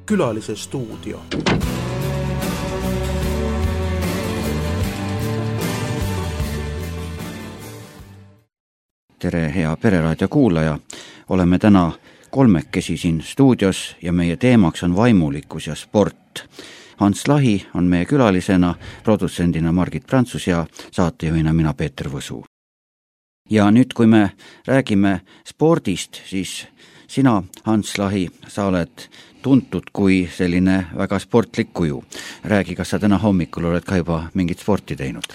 Külalise stuudio. Tere, hea Pereraadio kuulaja! Oleme täna kolmekesi siin stuudios ja meie teemaks on vaimulikkus ja sport. Hans Lahi on meie külalisena, produtsendina Margit Prantsus ja saatejuhina mina Peeter Võsu. Ja nüüd, kui me räägime spordist, siis sina, Hans Lahi, sa oled tuntud kui selline väga sportlik kuju. Räägi, kas sa täna hommikul oled ka juba mingit sporti teinud?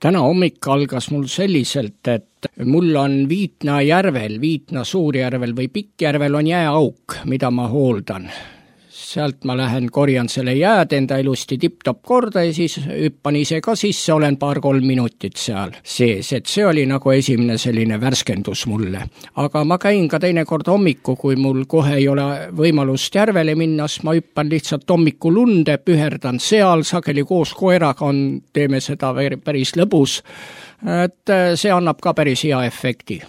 Täna hommik algas mul selliselt, et mul on Viitna järvel, Viitna Suurjärvel või Pikkjärvel on jääauk, mida ma hooldan. Sealt ma lähen korjan selle jääd enda ilusti tipp-top korda ja siis hüppan ise ka sisse, olen 2-3 minutit seal sees, et see oli nagu esimene selline värskendus mulle. Aga ma käin ka teinekord hommiku, kui mul kohe ei ole võimalust järvele minnas, ma hüppan lihtsalt hommiku lunde, püherdan seal, sageli koos koeraga teeme seda päris lõbus, et see annab ka päris hea efekti.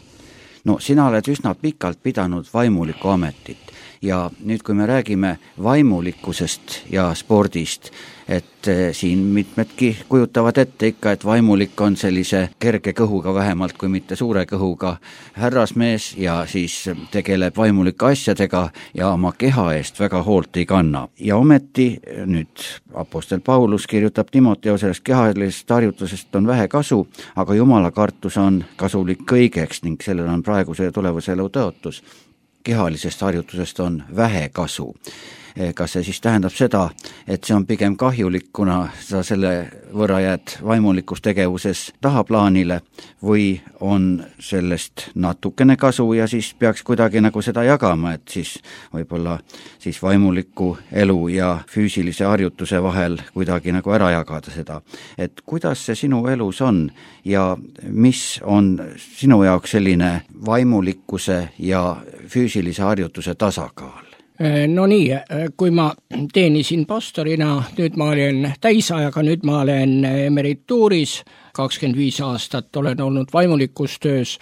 No sina oled üsna pikalt pidanud vaimuliku ametit. Ja nüüd, kui me räägime vaimulikkusest ja spordist, et siin mitmedki kujutavad ette ikka, et vaimulik on sellise kerge kõhuga vähemalt kui mitte suure kõhuga härrasmees ja siis tegeleb vaimulike asjadega ja oma keha eest väga hoolt ei kanna. Ja ometi nüüd apostel Paulus kirjutab Timoteosest, kehalisest harjutusest on vähe kasu, aga Jumala kartus on kasulik kõigeks ning sellel on praeguse ja tulevase elu tõotus. Kehalisest harjutusest on vähe kasu. Kas see siis tähendab seda, et see on pigem kahjulik, kuna sa selle võrra jääd vaimulikus tegevuses tahaplaanile või on sellest natukene kasu ja siis peaks kuidagi nagu seda jagama, et siis võib-olla siis vaimuliku elu ja füüsilise harjutuse vahel kuidagi nagu ära jagada seda. Et kuidas see sinu elus on ja mis on sinu jaoks selline vaimulikkuse ja füüsilise harjutuse tasakaal? No nii, kui ma teenisin pastorina, nüüd ma olen täisajaga, nüüd ma olen emerituuris, 25 aastat olen olnud vaimulikus töös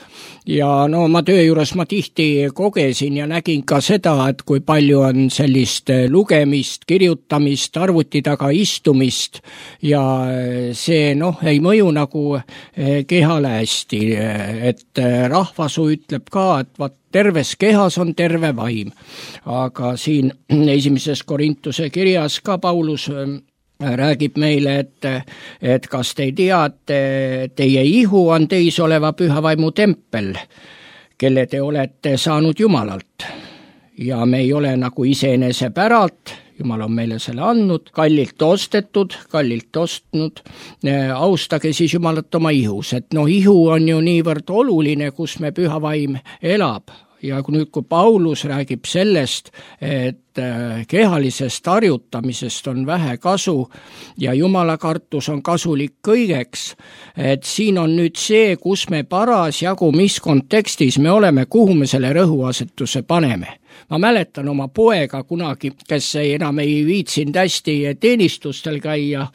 ja no ma töö juures ma tihti kogesin ja nägin ka seda, et kui palju on sellist lugemist, kirjutamist, arvuti taga istumist ja see ei mõju nagu kehale hästi, et rahvasu ütleb ka, et terves kehas on terve vaim, aga siin esimeses Korintuse kirjas ka Paulus räägib meile, et kas te ei tea, et teie ihu on teis oleva püha vaimu tempel, kelle te olete saanud Jumalalt. Ja me ei ole nagu iseenese päralt, Jumal on meile selle andnud, kallilt ostetud, kallilt ostnud, austage siis Jumalat oma ihus, et ihu on ju niivõrd oluline, kus me püha vaim elab. Ja nüüd, kui Paulus räägib sellest, et kehalisest harjutamisest on vähe kasu ja Jumala kartus on kasulik kõigeks, et siin on nüüd see, kus me parasjagu, mis kontekstis me oleme, kuhu me selle rõhuasetuse paneme. Ma mäletan oma poega kunagi, kes enam ei viitsinud hästi teenistustel käia,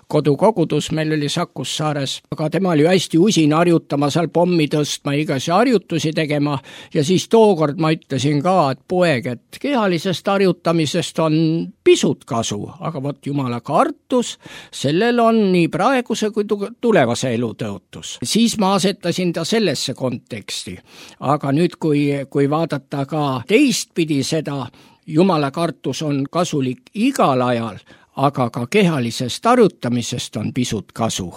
kodukogudus meil oli Sakussaares, aga tema oli hästi usin harjutama, seal pommi tõstma, igasi harjutusi tegema ja siis tookord ma ütlesin ka, et poeg, et kehalisest harjutamisest on pisut kasu, aga vot Jumala kartus, sellel on nii praeguse kui tulevase elu tõotus. Siis ma asetasin ta sellesse konteksti, aga nüüd kui vaadata ka teistpidi seda, Jumala kartus on kasulik igal ajal, aga ka kehalisest harjutamisest on pisut kasu.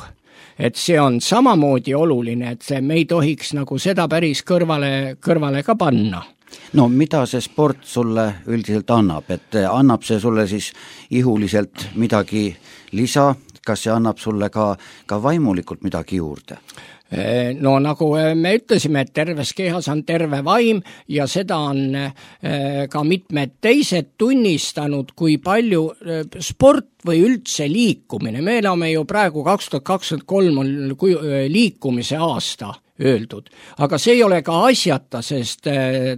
Et see on samamoodi oluline, et me ei tohiks nagu seda päris kõrvale ka panna. No mida see sport sulle üldiselt annab, et annab see sulle siis ihuliselt midagi lisa, kas see annab sulle ka vaimulikult midagi juurde? No nagu me ütlesime, et terves kehas on terve vaim ja seda on ka mitmed teised tunnistanud, kui palju sport või üldse liikumine. Me elame ju praegu 2023 on liikumise aasta. öeldud. Aga see ei ole ka asjata, sest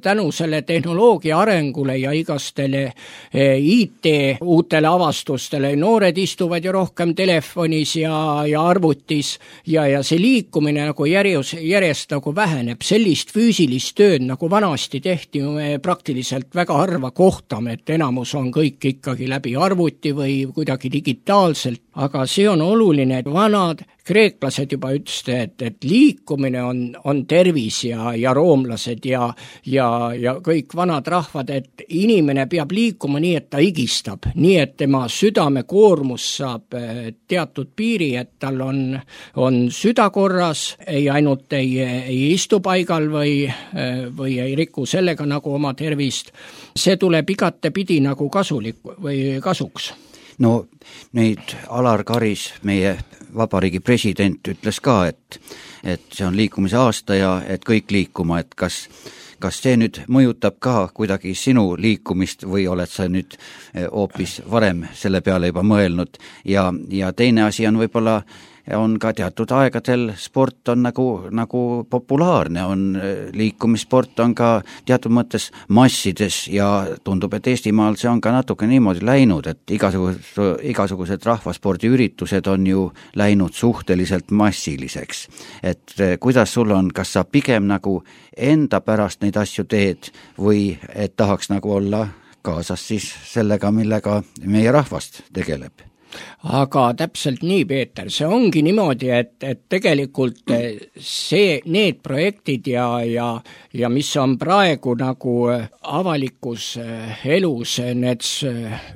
tänu selle tehnoloogia arengule ja igastele IT uutele avastustele noored istuvad ju rohkem telefonis ja arvutis ja see liikumine nagu järjest nagu väheneb. Sellist füüsilist tööd nagu vanasti tehti, me praktiliselt väga harva kohtame, et enamus on kõik ikkagi läbi arvuti või kuidagi digitaalselt, aga see on oluline, et vanad kreeklased juba ütlesid, et liikumine on tervis ja roomlased ja kõik vanad rahvad, et inimene peab liikuma nii, et ta higistab, nii et tema südamekoormus saab teatud piiri, et tal on süda korras, ei ainult ei istu paigal või ei riku sellega nagu oma tervist. See tuleb igatepidi nagu kasulik või kasuks. No neid Alar Karis, meie vabariigi president, ütles ka, et see on liikumise aasta ja et kõik liikuma, et kas see nüüd mõjutab ka kuidagi sinu liikumist või oled sa nüüd hoopis varem selle peale juba mõelnud ja teine asi on võib-olla on ka teatud aegadel sport on nagu populaarne, on liikumissport on ka teatud mõttes massides ja tundub, et Eestimaal see on ka natuke niimoodi läinud, et igasugused rahvaspordiüritused on ju läinud suhteliselt massiliseks. Et kuidas sul on, kas sa pigem nagu enda pärast neid asju teed või et tahaks nagu olla kaasas siis sellega, millega meie rahvast tegeleb? Aga täpselt nii, Peeter, see ongi niimoodi, et tegelikult need projektid ja mis on praegu nagu avalikus elus, need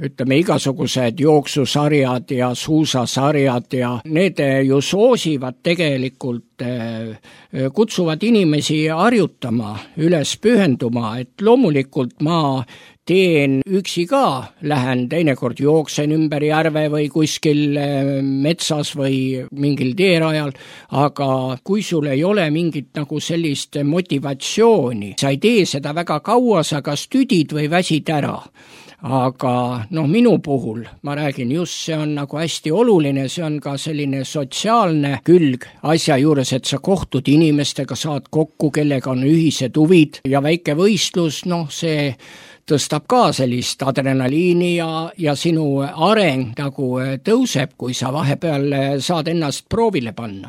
ütleme igasugused jooksusarjad ja suusasarjad ja need ju soosivad tegelikult, kutsuvad inimesi harjutama, üles pühenduma, et loomulikult ma teen üksi ka, lähen teinekord jooksen ümber järve või kuskil metsas või mingil teerajal, aga kui sul ei ole mingit nagu sellist motivatsiooni, sa ei tee seda väga kaua, sa kas tüdid või väsid ära. Aga minu puhul, ma räägin just, see on nagu hästi oluline, see on ka selline sotsiaalne külg asja juures, et sa kohtud inimestega, saad kokku, kellega on ühised huvid ja väike võistlus, see tõstab ka sellist adrenaliini ja sinu areng nagu tõuseb, kui sa vahepeal saad ennast proovile panna.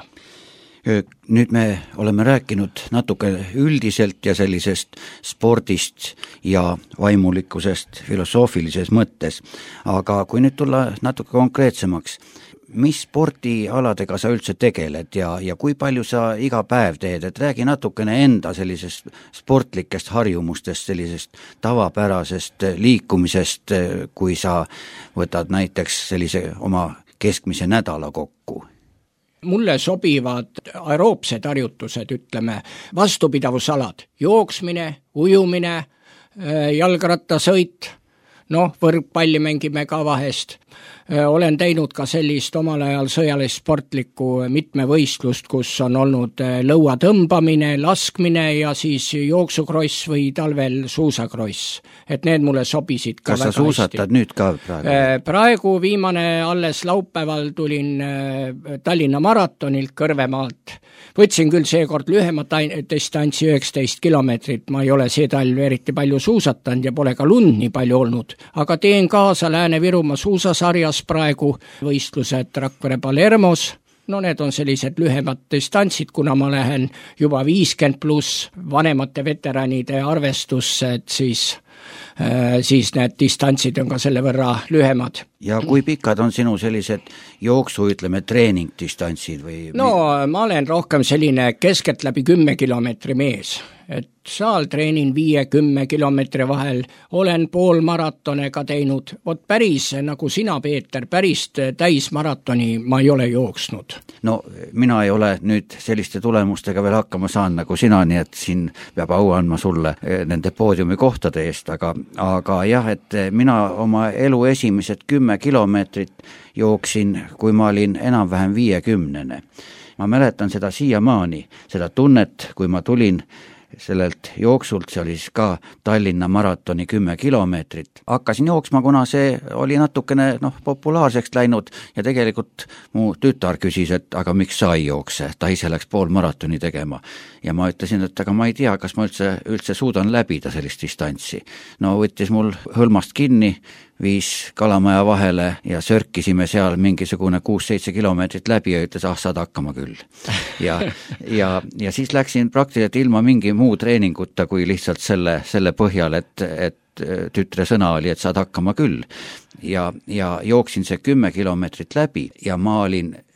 Nüüd me oleme rääkinud natuke üldiselt ja sellisest spordist ja vaimulikkusest filosoofilises mõttes, aga kui nüüd tulla natuke konkreetsemaks, mis spordialadega sa üldse tegeled ja kui palju sa iga päev teed, et räägi natukene enda sellisest sportlikest harjumustest, sellisest tavapärasest liikumisest, kui sa võtad näiteks sellise oma keskmise nädala kokku. Mulle sobivad aeroobsed harjutused, ütleme, vastupidavusalad, jooksmine, ujumine, jalgrattasõit, võrkpalli mängime ka vahest. Olen teinud ka sellist omal ajal sõjalist sportlikku mitmevõistlust, kus on olnud lõua tõmbamine, laskmine ja siis jooksukross või talvel suusakross. Et need mulle sobisid ka väga hästi. Kas sa suusatad nüüd ka praegu? Praegu viimane alles laupäeval tulin Tallinna maratonilt Kõrvemaalt. Võtsin küll seekord lühemat distantsi 19 kilomeetrit, ma ei ole see talv eriti palju suusatanud ja pole ka lund nii palju olnud, aga teen kaasa Lääne-Virumaa suusasarjas praegu võistlused Rakvere Palermos, need on sellised lühemad distantsid, kuna ma lähen juba 50+ vanemate veteranide arvestusse, et siis need distantsid on ka selle võrra lühemad. Ja kui pikad on sinu sellised jooksu, ütleme, treeningdistantsid või? Ma olen rohkem selline keskelt läbi 10 kilomeetri mees, et saal treenin 5-10 kilomeetri vahel, olen poolmaratone ka teinud, päris nagu sina, Peeter, päris täismaratoni ma ei ole jooksnud. Mina ei ole nüüd selliste tulemustega veel hakkama saanud nagu sina, nii et siin peab au andma sulle nende poodiumi kohtade eest, aga jah, et mina oma elu esimesed 10 kilomeetrit jooksin, kui ma olin enam-vähem 50. Ma mäletan seda siiamaani, seda tunnet, kui ma tulin sellelt jooksult, see oli siis ka Tallinna maratoni 10 kilomeetrit. Hakkasin jooksma, kuna see oli natukene populaarseks läinud ja tegelikult mu tütar küsis, et aga miks sa ei jookse, ta ise läks poolmaratoni tegema. Ja ma ütlesin, et aga ma ei tea, kas ma üldse suudan läbida sellist distantsi. No võttis mul hõlmast kinni, viis Kalamaja vahele ja sörkisime seal mingisugune 6-7 kilomeetrit läbi ja ütles, saad hakkama küll. Ja siis läksin praktiliselt ilma mingi muu treeninguta kui lihtsalt selle põhjal, et tütre sõna oli, et saad hakkama küll. Ja jooksin see 10 kilomeetrit läbi ja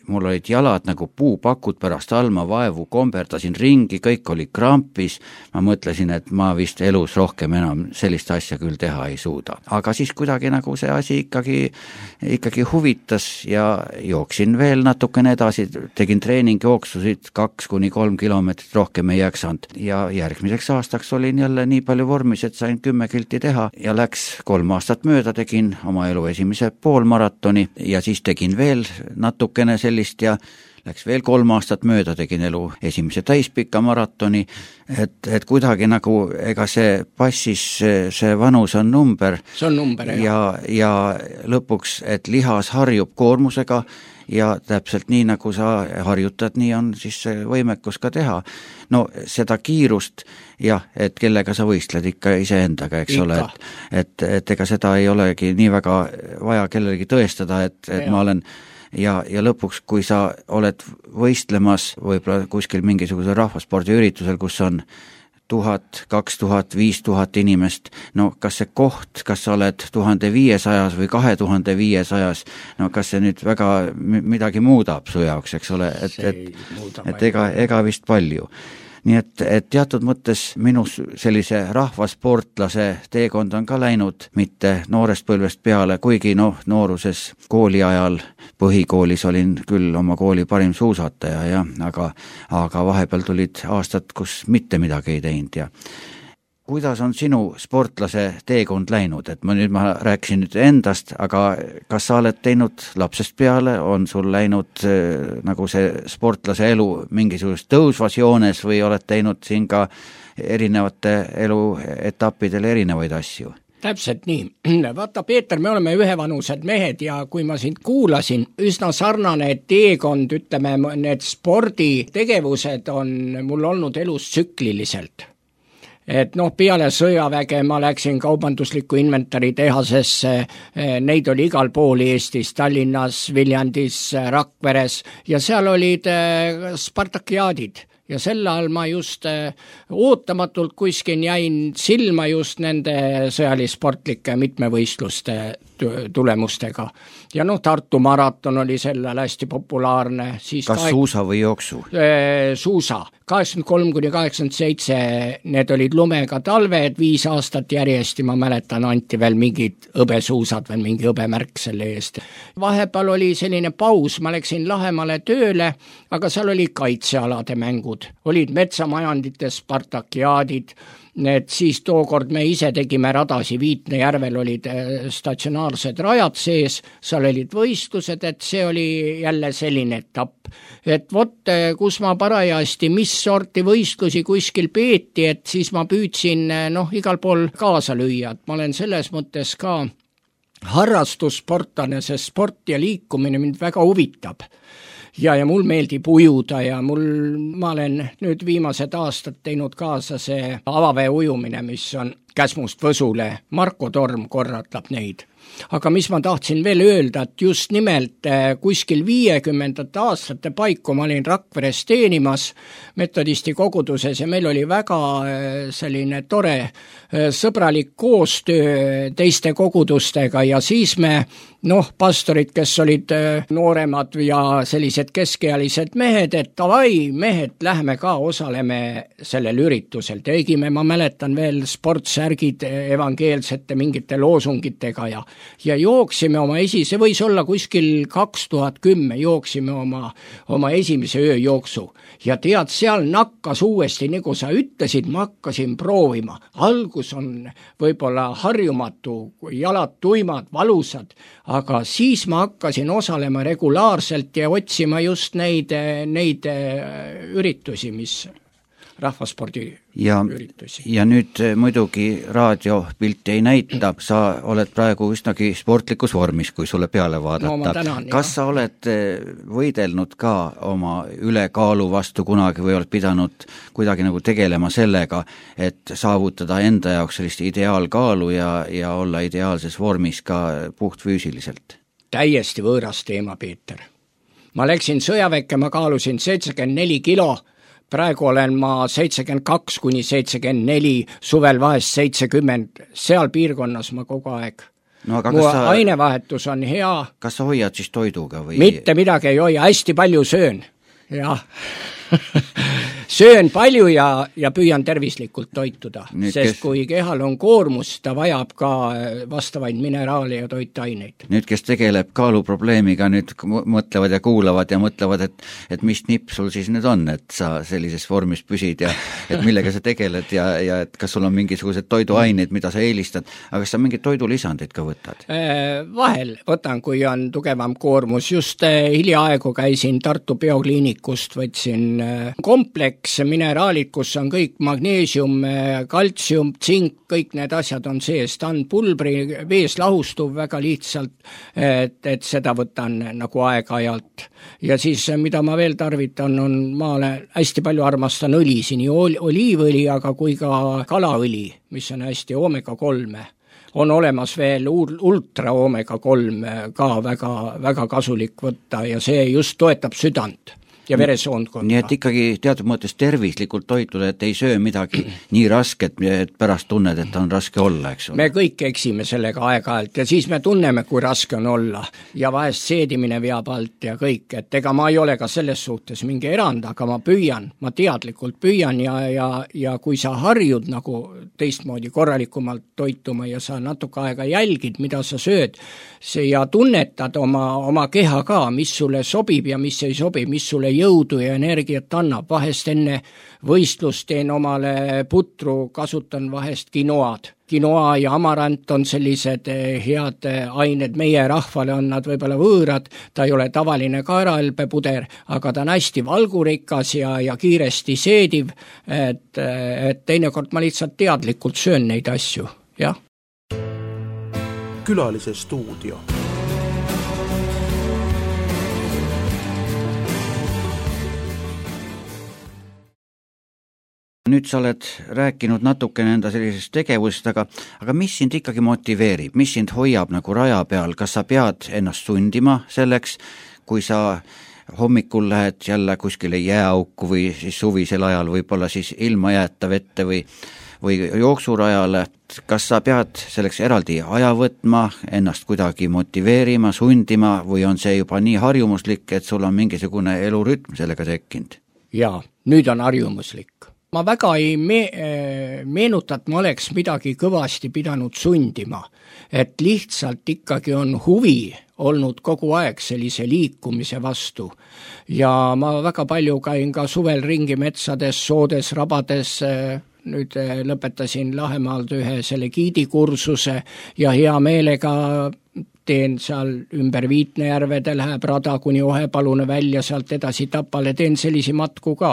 mul olid jalad nagu puupakud pärast alma vaevu, komberdasin ringi, kõik oli krampis, ma mõtlesin, et ma vist elus rohkem enam sellist asja küll teha ei suuda. Aga siis kuidagi nagu see asi ikkagi huvitas ja jooksin veel natukene edasi, tegin treeningjooksusid 2-3 kilomeetrit, rohkem ei jaksanud ja järgmiseks aastaks olin jälle nii palju vormis, et sain 10 kilti teha ja läks 3 aastat mööda, tegin oma elu esimese poolmaratoni ja siis tegin veel natukene ja läks veel 3 aastat mööda, tegin elu esimese täispika maratoni, et kuidagi nagu ega see passis, see vanus on number. See on number, ja lõpuks, et lihas harjub koormusega ja täpselt nii, nagu sa harjutad, nii on siis see võimekus ka teha. No seda kiirust, jah, et kellega sa võistled ikka iseendaga, eks ole, et ega seda ei olegi nii väga vaja kellelegi tõestada, et ma olen ja lõpuks, kui sa oled võistlemas võib-olla kuskil mingisugusel rahvaspordiüritusel, kus on 1000, 2000, 5000 inimest, no kas see koht, kas sa oled 1500 või 2500, no kas see nüüd väga midagi muudab su jaoks, eks ole, et ega vist palju. Nii et teatud mõttes minu sellise rahvasportlase teekond on ka läinud mitte noorest põlvest peale, kuigi nooruses kooli ajal põhikoolis olin küll oma kooli parim suusataja, aga vahepeal tulid aastad, kus mitte midagi ei teinud ja kuidas on sinu sportlase teekond läinud, et ma rääkisin nüüd endast, aga kas sa oled teinud lapsest peale, on sul läinud nagu see sportlase elu mingisugust tõusvas joones või oled teinud siin ka erinevate elu etappidel erinevaid asju? Täpselt nii. Vaata, Peeter, me oleme ühevanused mehed ja kui ma sind kuulasin, üsna sarnane teekond, ütleme, need sporditegevused on mul olnud elus tsükliliselt. Et peale sõjaväge ma läksin kaubandusliku inventari tehasesse, neid oli igal pool Eestis, Tallinnas, Viljandis, Rakveres ja seal olid Spartakiaadid. Ja selle all ma just ootamatult kuskil jäin silma just nende sõjalisportlike mitmevõistluste tulemustega. Ja Tartu maraton oli sellel hästi populaarne. Kas suusa või jooksu? Suusa. 83-87 need olid lumega talved, 5 aastat järjest, ma mäletan, anti veel mingid hõbesuusad või mingi hõbemärk selle eest. Vahepeal oli selline paus, ma läksin Lahemale tööle, aga seal oli kaitsealade mängud, olid metsamajandite Spartakiaadid, need siis tookord me ise tegime radasi, Viitne järvel olid statsionaarsed rajad sees, seal olid võistlused, et see oli jälle selline etapp. Et vot, kus ma parajasti, mis sorti võistlusi kuskil peeti, et siis ma püüdsin igal pool kaasa lüüa, et ma olen selles mõttes ka harrastussportlane, sest sport ja liikumine mind väga huvitab. Ja mul meeldib ujuda ja ma olen nüüd viimased aastad teinud kaasa see avavee ujumine, mis on Käsmust Võsule, Marko Torm korratab neid. Aga mis ma tahtsin veel öelda, et just nimelt kuskil 50. aastate paiku ma olin Rakveres teenimas metodisti koguduses ja meil oli väga selline tore sõbralik koostöö teiste kogudustega ja siis me pastorid, kes olid nooremad ja sellised keskealised mehed, et davai, mehed, lähme ka osaleme sellel üritusel. Tegime, ma mäletan veel sportsärgid evangeelsete mingite loosungitega ja jooksime oma see võis olla kuskil 2010, jooksime oma esimese ööjooksu. Ja tead, seal nakkas uuesti, nagu sa ütlesid, ma hakkasin proovima. Algus on võib-olla harjumatu, jalad tuimad, valusad, aga siis ma hakkasin osalema regulaarselt ja otsima just neid üritusi, mis rahvaspordi üritusi. Ja nüüd muidugi raadiopilti ei näita, sa oled praegu üsnagi sportlikus vormis, kui sulle peale vaadata. No, ma tänan, kas sa oled võidelnud ka oma ülekaalu vastu kunagi või oled pidanud kuidagi nagu tegelema sellega, et saavutada enda jaoks sellist ideaalkaalu ja olla ideaalses vormis ka puhtfüüsiliselt? Täiesti võõras teema, Peeter. Ma läksin sõjaväkke, ma kaalusin 74 kilo, praegu olen ma 72 kuni 74, suvel vahest 70, seal piirkonnas ma kogu aeg. No, aga mu ainevahetus on hea. Kas sa hoiad siis toiduga või? Mitte midagi ei hoia, hästi palju söön. Jah. Söön palju ja püüan tervislikult toituda, sest kui kehal on koormus, ta vajab ka vastavaid mineraale ja toitaineid. Nüüd, kes tegeleb kaaluprobleemiga, nüüd mõtlevad ja kuulavad ja mõtlevad, et mis nipp sul siis nüüd on, et sa sellises vormis püsid ja et millega sa tegeled ja et kas sul on mingisugused toiduaineid, mida sa eelistad, aga kas sa mingid toidulisandid ka võtad? Vahel võtan, kui on tugevam koormus. Just hiljaaegu käisin Tartu biokliinikust, võtsin kompleks, mineraalid, kus on kõik magneesium, kaltsium, tsink, kõik need asjad on sees, ta on pulbri, vees lahustuv väga lihtsalt, et seda võtan nagu aeg-ajalt. Ja siis, mida ma veel tarvitan, ma hästi palju armastan õlisi, nii oliivõli, aga kui ka kalaõli, mis on hästi omega 3. On olemas veel ultra omega 3 ka väga, väga kasulik võtta ja see just toetab südant ja veresoondkonda. Nii et ikkagi teatud mõttes tervislikult toituda, et ei söö midagi nii rasket, et pärast tunned, et on raske olla, eks ole. Me kõik eksime sellega aeg-ajalt ja siis me tunneme, kui raske on olla ja vahest seedimine veab alt ja kõik, et ega ma ei ole ka selles suhtes mingi erand, aga ma teadlikult püüan ja kui sa harjud nagu teistmoodi korralikumalt toituma ja sa natuke aega jälgid, mida sa sööd ja tunnetad oma keha ka, mis sulle sobib ja mis ei sobi, mis sulle jõudu ja energiat annab. Vahest enne võistlust teen omale putru, kasutan vahest kinoad. Kinoa ja amarant on sellised head ained, meie rahvale on nad võib-olla võõrad, ta ei ole tavaline kaerahelbepuder, aga ta on hästi valgurikas ja kiiresti seediv, et teinekord ma lihtsalt teadlikult söön neid asju, jah. Külalise stuudio. Nüüd sa oled rääkinud natukene enda sellisest tegevusest, aga mis sind ikkagi motiveerib, mis sind hoiab nagu raja peal, kas sa pead ennast sundima selleks, kui sa hommikul lähed jälle kuskile jääauku või siis suvisel ajal võib-olla siis ilma jääta vette või jooksurajale, kas sa pead selleks eraldi aja võtma, ennast kuidagi motiveerima, sundima või on see juba nii harjumuslik, et sul on mingisugune elurütm sellega tekkinud? Jaa, nüüd on harjumuslik. Ma väga ei meenuta, et ma oleks midagi kõvasti pidanud sundima, et lihtsalt ikkagi on huvi olnud kogu aeg sellise liikumise vastu. Ja ma väga palju käin ka suvel ringi metsades, soodes, rabades, nüüd lõpetasin Lahemaalt ühe selle giidikursuse ja hea meelega teen seal ümber Viitnejärvede, läheb rada kuni Ohepalune välja, sealt edasi Tapale, teen sellisi matku ka.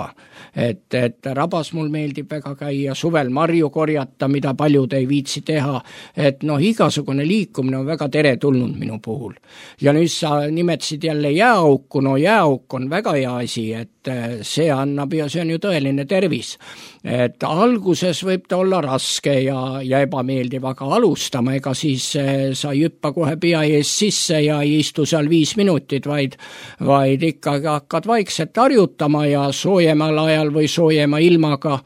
Et rabas mul meeldib väga käia, suvel marju korjata, mida paljud ei viitsi teha, et igasugune liikumine on väga teretulnud minu puhul. Ja nüüd sa nimetasid jälle jääauku, jääauk on väga hea asi, et see annab ja see on ju tõeline tervis. Et alguses võib ta olla raske ja ebameeldiv, aga alustama, ega siis sa ei hüppa kohe pea ees sisse ja ei istu seal 5 minutit, vaid ikkagi hakkad vaikselt harjutama ja soojemal ajal või soojema ilmaga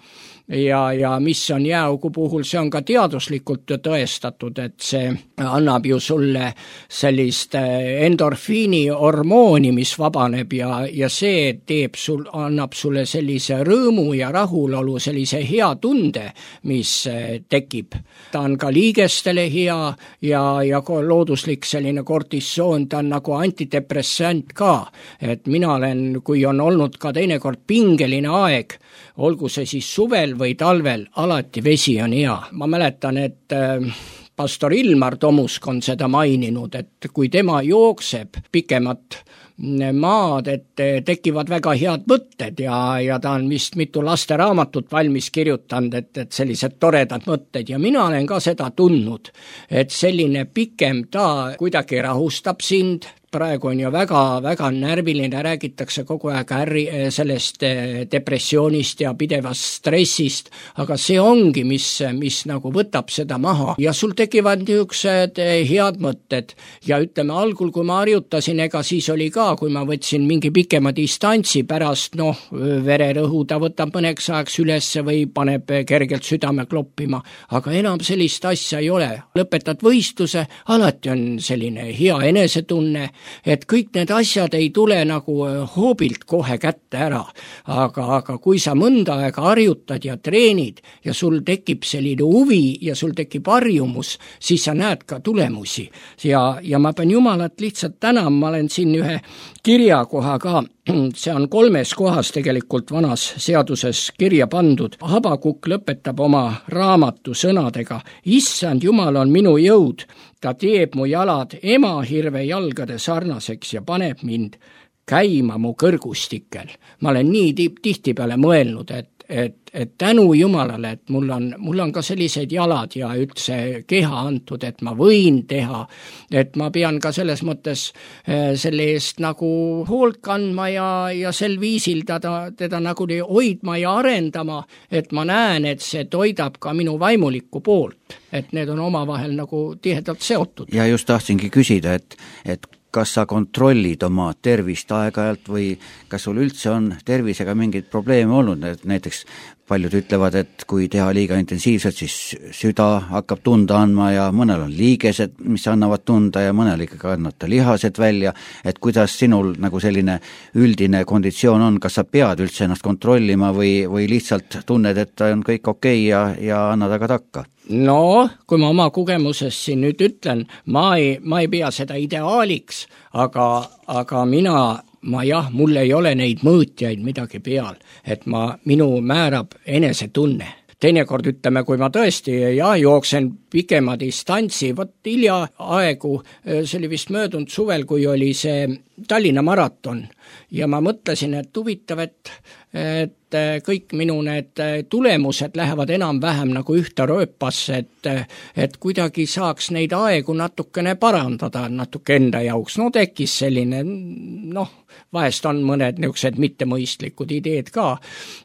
ja mis on jääaugu puhul, see on ka teaduslikult tõestatud, et see annab ju sulle sellist endorfiini hormooni, mis vabaneb ja see annab sulle sellise rõõmu ja rahulolu, sellise hea tunde, mis tekib. Ta on ka liigestele hea ja looduslik selline kortisoon, ta on nagu antidepressant ka, et mina olen, kui on olnud ka teinekord pingeline aeg, olgu see siis suvel või talvel, alati vesi on hea. Ma mäletan, et pastor Ilmar Tomusk on seda maininud, et kui tema jookseb pikemat maad, et tekivad väga head mõtted ja ta on vist mitu lasteraamatut valmis kirjutanud, et sellised toredad mõtted ja mina olen ka seda tundnud, et selline pikem ta kuidagi rahustab sind, praegu on ju väga närviline, räägitakse kogu aeg sellest depressioonist ja pidevast stressist, aga see ongi, mis nagu võtab seda maha ja sul tekivad niisugused head mõtted ja ütleme, algul kui ma harjutasin, ega siis oli ka, kui ma võtsin mingi pikema distantsi pärast, vererõhu ta võtab mõneks ajaks ülesse või paneb kergelt südame kloppima, aga enam sellist asja ei ole. Lõpetad võistluse, alati on selline hea enesetunne, et kõik need asjad ei tule nagu hoobilt kohe kätte ära, aga kui sa mõnda aega harjutad ja treenid ja sul tekib selline huvi ja sul tekib harjumus, siis sa näed ka tulemusi ja ma pean Jumalat lihtsalt tänama, ma olen siin ühe kirjakoha ka, see on 3 kohas tegelikult vanas seaduses kirja pandud. Habakuk lõpetab oma raamatu sõnadega: Issand Jumal on minu jõud, ta teeb mu jalad emahirve jalgade sarnaseks ja paneb mind käima mu kõrgustikel. Ma olen nii tihtipeale mõelnud, et tänu Jumalale, et mul on ka sellised jalad ja üldse keha antud, et ma võin teha, et ma pean ka selles mõttes selle eest nagu hoolt kandma ja sel viisil teda nagu hoidma ja arendama, et ma näen, et see toidab ka minu vaimulikku poolt, et need on omavahel nagu tihedalt seotud. Ja just tahtsingi küsida, et kas sa kontrollid oma tervist aeg-ajalt või kas sul üldse on tervisega mingeid probleeme olnud, näiteks paljud ütlevad, et kui teha liiga intensiivselt, siis süda hakkab tunda andma ja mõnel on liigesed, mis annavad tunda ja mõnel ikkagi annata lihased välja, et kuidas sinul nagu selline üldine konditsioon on, kas sa pead üldse ennast kontrollima või lihtsalt tunned, et on kõik okei ja annad aga takka? No, kui ma oma kogemusest siin nüüd ütlen, ma ei pea seda ideaaliks, aga mul ei ole neid mõõtjaid midagi peal, et minu määrab enesetunne. Teinekord ütleme, kui ma tõesti jooksen pikema distantsi, hiljaaegu, see oli vist möödunud suvel, kui oli see Tallinna maraton ja ma mõtlesin, et huvitav, et kõik minu need tulemused lähevad enam-vähem nagu ühte rööpasse, et kuidagi saaks neid aegu natukene parandada natuke enda jaoks. Tekkis selline, vahest on mõned niisugused mittemõistlikud ideed ka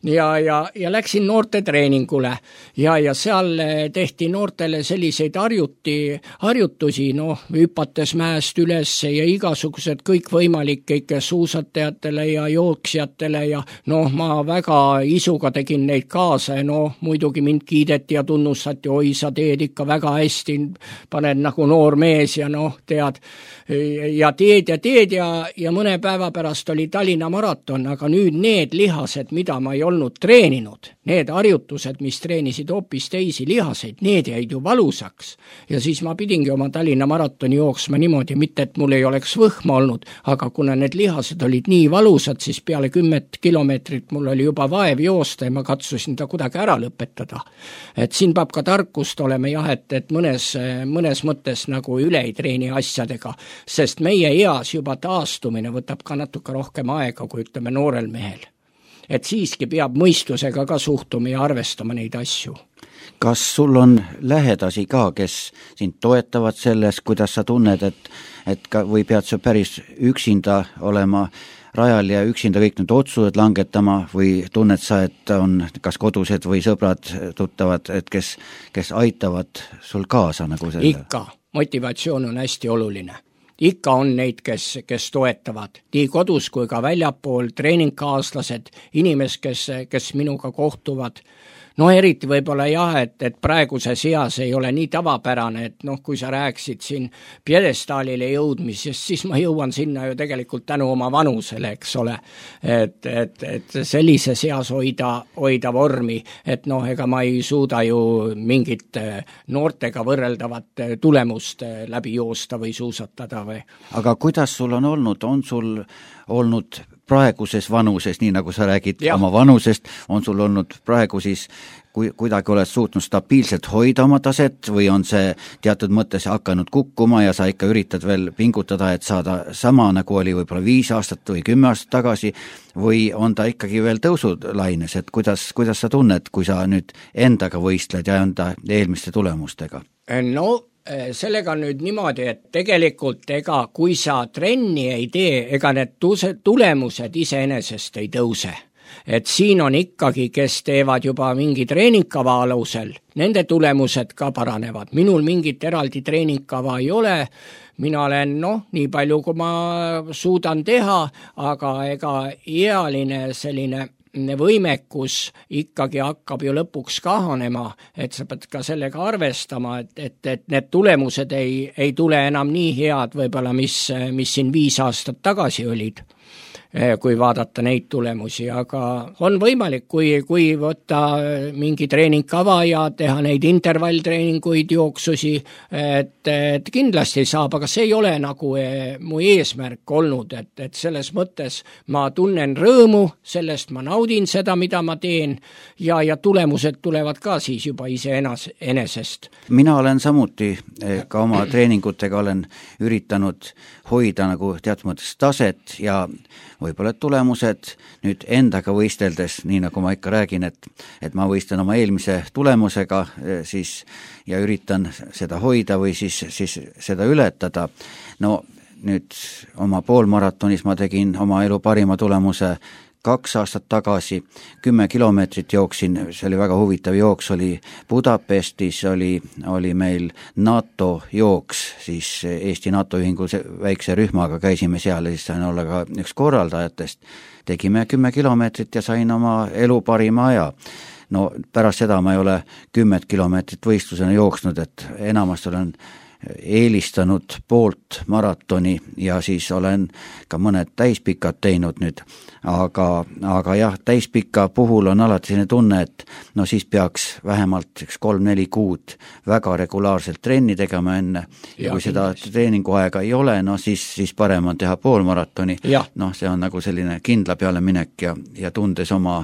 ja läksin noorte treeningule ja seal tehti noortele selliseid harjutusi, hüpates mäest üles ja igasugused kõikvõimalik suusatajatele ja jooksjatele ja ma väga isuga tegin neid kaasa ja muidugi mind kiideti ja tunnustati, oi, sa teed ikka väga hästi, paned nagu noor mees ja tead ja mõne päeva pärast oli Tallinna maraton, aga nüüd need lihased, mida ma ei olnud treeninud, need harjutused, mis treenisid hoopis teisi lihaseid, need jäid ju valusaks ja siis ma pidingi oma Tallinna maratoni jooksma niimoodi, mitte et mul ei oleks võhma olnud, aga kuna need lihased olid nii valusad, siis peale 10 kilomeetrit mul oli juba vaev joosta ja ma katsusin ta kuidagi ära lõpetada. Et siin peab ka tarkust olema et mõnes mõttes nagu üle ei treeni asjadega, sest meie eas juba taastumine võtab ka natuke rohkem aega, kui ütleme noorel mehel. Et siiski peab mõistusega ka suhtuma ja arvestama neid asju. Kas sul on lähedasi ka, kes sind toetavad selles, kuidas sa tunned, või pead sa päris üksinda olema rajal ja üksinda kõik need otsused langetama või tunned sa, et on kas kodused või sõbrad, tuttavad, et kes aitavad sul kaasa nagu selle? Ikka, motivatsioon on hästi oluline. Ikka on neid, kes toetavad, nii kodus kui ka väljapool, treeningkaaslased, inimesed, kes minuga kohtuvad. Eriti võib-olla et praeguses eas ei ole nii tavapärane, et kui sa rääksid siin pjedestaalile jõudmisest, siis ma jõuan sinna ju tegelikult tänu oma vanusele, eks ole, et sellises eas hoida vormi, et ega ma ei suuda ju mingit noortega võrreldavat tulemust läbi joosta või suusatada või. Aga kuidas sul on sul olnud praeguses vanuses, nii nagu sa räägid oma vanusest, on sul olnud praegu siis kuidagi oled suutnud stabiilselt hoida oma taset või on see teatud mõttes hakanud kukkuma ja sa ikka üritad veel pingutada, et saada sama, nagu oli võib-olla 5 aastat või 10 aastat tagasi, või on ta ikkagi veel tõusulaines, et kuidas sa tunned, kui sa nüüd endaga võistled ja enda eelmiste tulemustega? No sellega nüüd niimoodi, et tegelikult kui sa trenni ei tee, ega need tulemused iseenesest ei tõuse. Et siin on ikkagi, kes teevad juba mingi treeningkava alusel, nende tulemused ka paranevad. Minul mingit eraldi treeningkava ei ole, mina olen nii palju, kui ma suudan teha, aga ega ealine selline võimekus ikkagi hakkab ju lõpuks kahanema, et sa pead ka sellega arvestama, et need tulemused ei tule enam nii head võib-olla, mis siin 5 aastat tagasi olid, kui vaadata neid tulemusi, aga on võimalik, kui võtta mingi treeningkava ja teha neid intervalltreeninguid, jooksusi, et kindlasti saab, aga see ei ole nagu mu eesmärk olnud, et selles mõttes ma tunnen rõõmu, sellest ma naudin seda, mida ma teen ja tulemused tulevad ka siis juba iseenesest. Mina olen samuti ka oma treeningutega olen üritanud hoida nagu teatud mõttes taset ja võib-olla tulemused nüüd endaga võisteldes, nii nagu ma ikka räägin, et ma võistlen oma eelmise tulemusega siis ja üritan seda hoida või siis seda ületada. No nüüd oma poolmaratonis ma tegin oma elu parima tulemuse 2 aastat tagasi, 10 kilomeetrit jooksin, see oli väga huvitav jooks, oli Budapestis, oli meil NATO jooks, siis Eesti NATO ühingu väikse rühmaga käisime seal ja siis sain olla ka üks korraldajatest. Tegime 10 kilomeetrit ja sain oma elu parima aja. No pärast seda ma ei ole 10 kilomeetrit võistlusena jooksnud, et enamasti olen eelistanud poolt maratoni ja siis olen ka mõned täispikad teinud nüüd, aga jah, täispika puhul on alati selline tunne, et no siis peaks vähemalt 3-4 kuud väga regulaarselt trenni tegema enne ja kui seda treeninguaega ei ole, no siis parem on teha poolmaratoni, noh see on nagu selline kindla peale minek ja tundes oma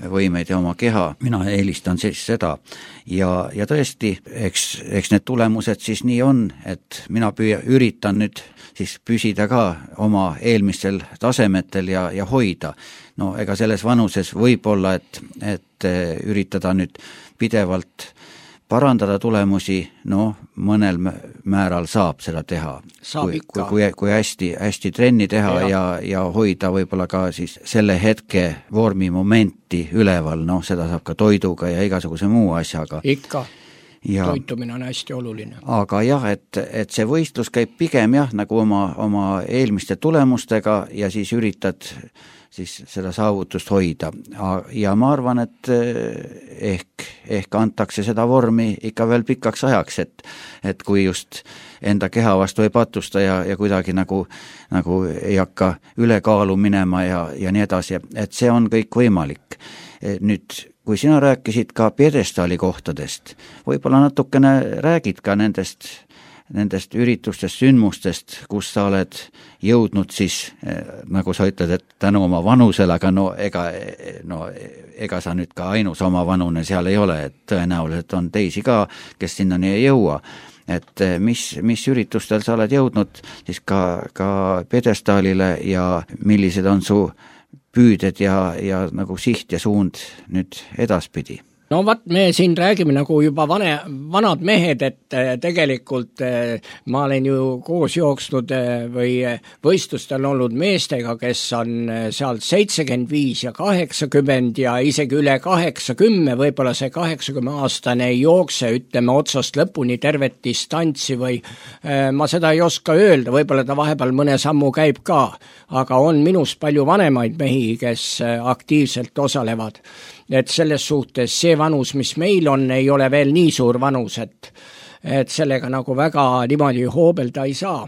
võimeid ja oma keha, mina eelistan siis seda ja tõesti, eks need tulemused siis nii on, et mina üritan nüüd siis püsida ka oma eelmistel tasemetel ja hoida. No ega selles vanuses võib olla, et üritada nüüd pidevalt parandada tulemusi, no mõnel määral saab seda teha. Kui hästi trenni teha ja hoida võib-olla ka siis selle hetke vormimomenti üleval, no seda saab ka toiduga ja igasuguse muu asjaga. Ikka. Toitumine on hästi oluline. Aga jah, et see võistlus käib pigem nagu oma eelmiste tulemustega ja siis üritad siis seda saavutust hoida. Ja ma arvan, et ehk antakse seda vormi ikka veel pikaks ajaks, et kui just enda keha vastu ei patusta ja kuidagi nagu ei hakka ülekaalu minema ja nii edasi, et see on kõik võimalik. Nüüd, kui sina rääkisid ka pjedestaali kohtadest, võib-olla natukene räägid ka nendest üritustest, sündmustest, kus sa oled jõudnud siis, nagu sa ütled, et tänu oma vanusele, aga ega sa nüüd ka ainus oma vanune seal ei ole, et tõenäoliselt on teisi ka, kes sinnani ei jõua. Et mis üritustel sa oled jõudnud siis ka pjedestaalile ja millised on su püüded ja nagu siht ja suund nüüd edaspidi? No me siin räägime nagu juba vanad mehed, et tegelikult ma olen ju koos jooksnud või võistlustel olnud meestega, kes on seal 75 ja 80 ja isegi üle 80, võib-olla see 80-aastane ei jookse, ütleme otsast lõpuni tervet distantsi või ma seda ei oska öelda, võib-olla ta vahepeal mõne sammu käib ka, aga on minust palju vanemaid mehi, kes aktiivselt osalevad. Et selles suhtes see vanus, mis meil on, ei ole veel nii suur vanus, et sellega nagu väga niimoodi hoobelda ei saa.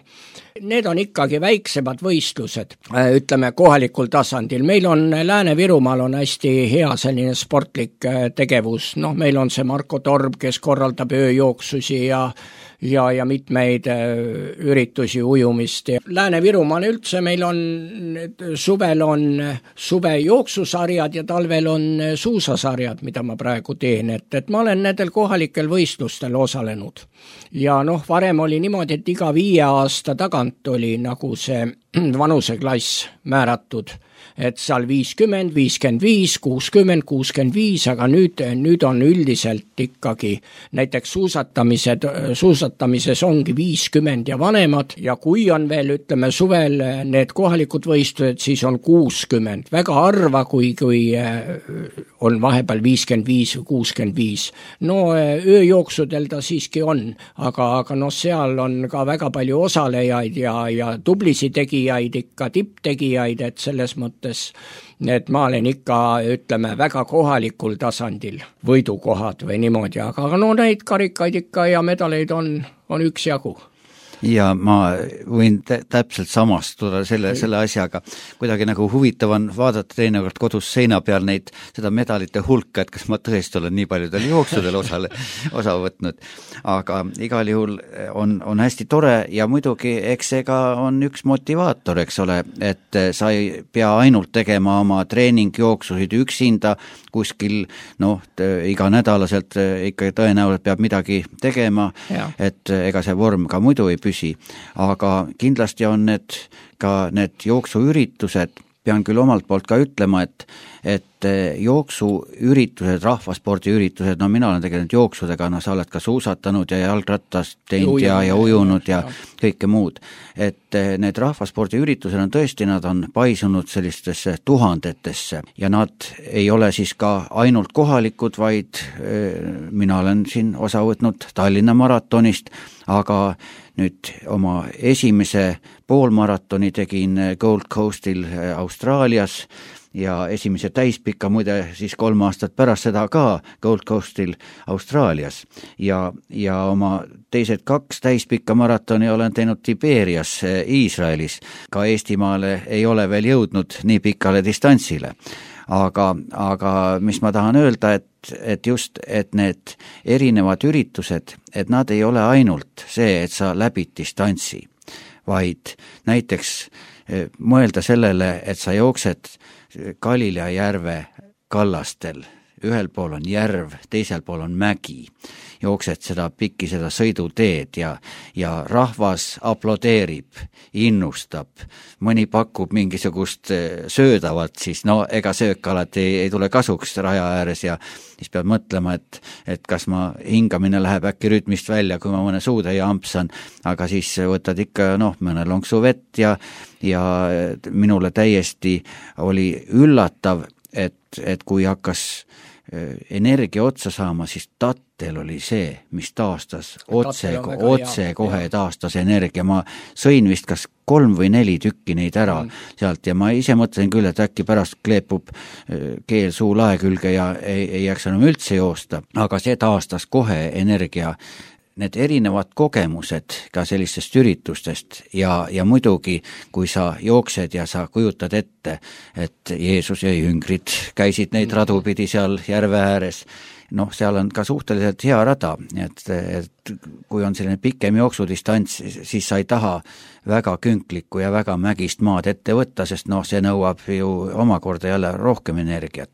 Need on ikkagi väiksemad võistlused, ütleme kohalikul tasandil. Meil on Lääne-Virumaal on hästi hea selline sportlik tegevus. Meil on see Marko Torb, kes korraldab ööjooksusi ja mitmeid üritusi, ujumist. Lääne-Virumaal üldse meil on, suvel on suvejooksusarjad ja talvel on suusasarjad, mida ma praegu teen, et ma olen nendel kohalikel võistlustel osalenud. Ja varem oli niimoodi, et iga 5 aasta tagant oli nagu see vanuseklass määratud, et seal 50, 55, 60, 65, aga nüüd on üldiselt ikkagi näiteks suusatamises ongi 50 ja vanemad ja kui on veel, ütleme, suvel need kohalikud võistlused, siis on 60. Väga harva, kui on vahepeal 55 või 65. Ööjooksudel ta siiski on, aga seal on ka väga palju osalejaid ja tublisi tegijaid, ikka tipptegijaid, et selles mõttes, et ma olen ikka, ütleme, väga kohalikul tasandil võidukohad või niimoodi, aga neid karikaid ikka ja medaleid on üksjagu. Ja ma võin täpselt samastuda selle asjaga. Kuidagi nagu huvitav on vaadata teinekord kodus seina peal seda medalite hulka, et kas ma tõesti olen nii paljudel jooksudel osa võtnud. Aga igal juhul on hästi tore ja muidugi eks see ka on üks motivaator, eks ole, et sa ei pea ainult tegema oma treeningjooksusid üksinda kuskil, iganädalaselt ikka tõenäoliselt peab midagi tegema, et ega see vorm ka muidu ei püsi. Aga kindlasti on need jooksuüritused, pean küll omalt poolt ka ütlema, et jooksuüritused, rahvaspordiüritused, mina olen tegelenud jooksudega, sa oled ka suusatanud ja jalgratast teinud ja ujunud ja kõike muud. Et need rahvaspordiüritused on tõesti, nad on paisunud sellistesse tuhandetesse ja nad ei ole siis ka ainult kohalikud, vaid mina olen siin osa võtnud Tallinna maratonist, aga nüüd oma esimese poolmaratoni tegin Gold Coastil Austraalias ja esimese täispika muide siis 3 aastat pärast seda ka Gold Coastil Austraalias ja oma teised 2 täispika maratoni olen teinud Tiberias Iisraelis. Ka Eestimaale ei ole veel jõudnud nii pikale distantsile. Aga mis ma tahan öelda, et just, et need erinevad üritused, et nad ei ole ainult see, et sa läbid distantsi, vaid näiteks mõelda sellele, et sa jooksed Galilea järve kallastel, ühel pool on järv, teisel pool on mägi, jooksed seda sõiduteed ja rahvas aplodeerib, innustab, mõni pakub mingisugust söödavat, siis ega söök alati ei tule kasuks raja ääres ja siis pead mõtlema, et kas ma hingamine läheb äkki rütmist välja, kui ma mõne suutäie ampsan, aga siis võtad ikka mõne lonksu vett ja minule täiesti oli üllatav, et kui hakkas energia otsa saama, siis tattel oli see, mis taastas otsekohe taastas energia. Ma sõin vist kas 3 või 4 tükki neid ära sealt ja ma ise mõtlesin küll, et äkki pärast kleepub keel suu lae külge ja ei jääks enam üldse joosta, aga see taastas kohe energia. Need erinevad kogemused ka sellistest üritustest ja muidugi, kui sa jooksed ja sa kujutad ette, et Jeesus ja jüngrid käisid neid radupidi seal järve ääres, seal on ka suhteliselt hea rada, et kui on selline pikem jooksudistants, siis sa ei taha väga künklikku ja väga mägist maad ette võtta, sest see nõuab ju omakorda jälle rohkem energiat.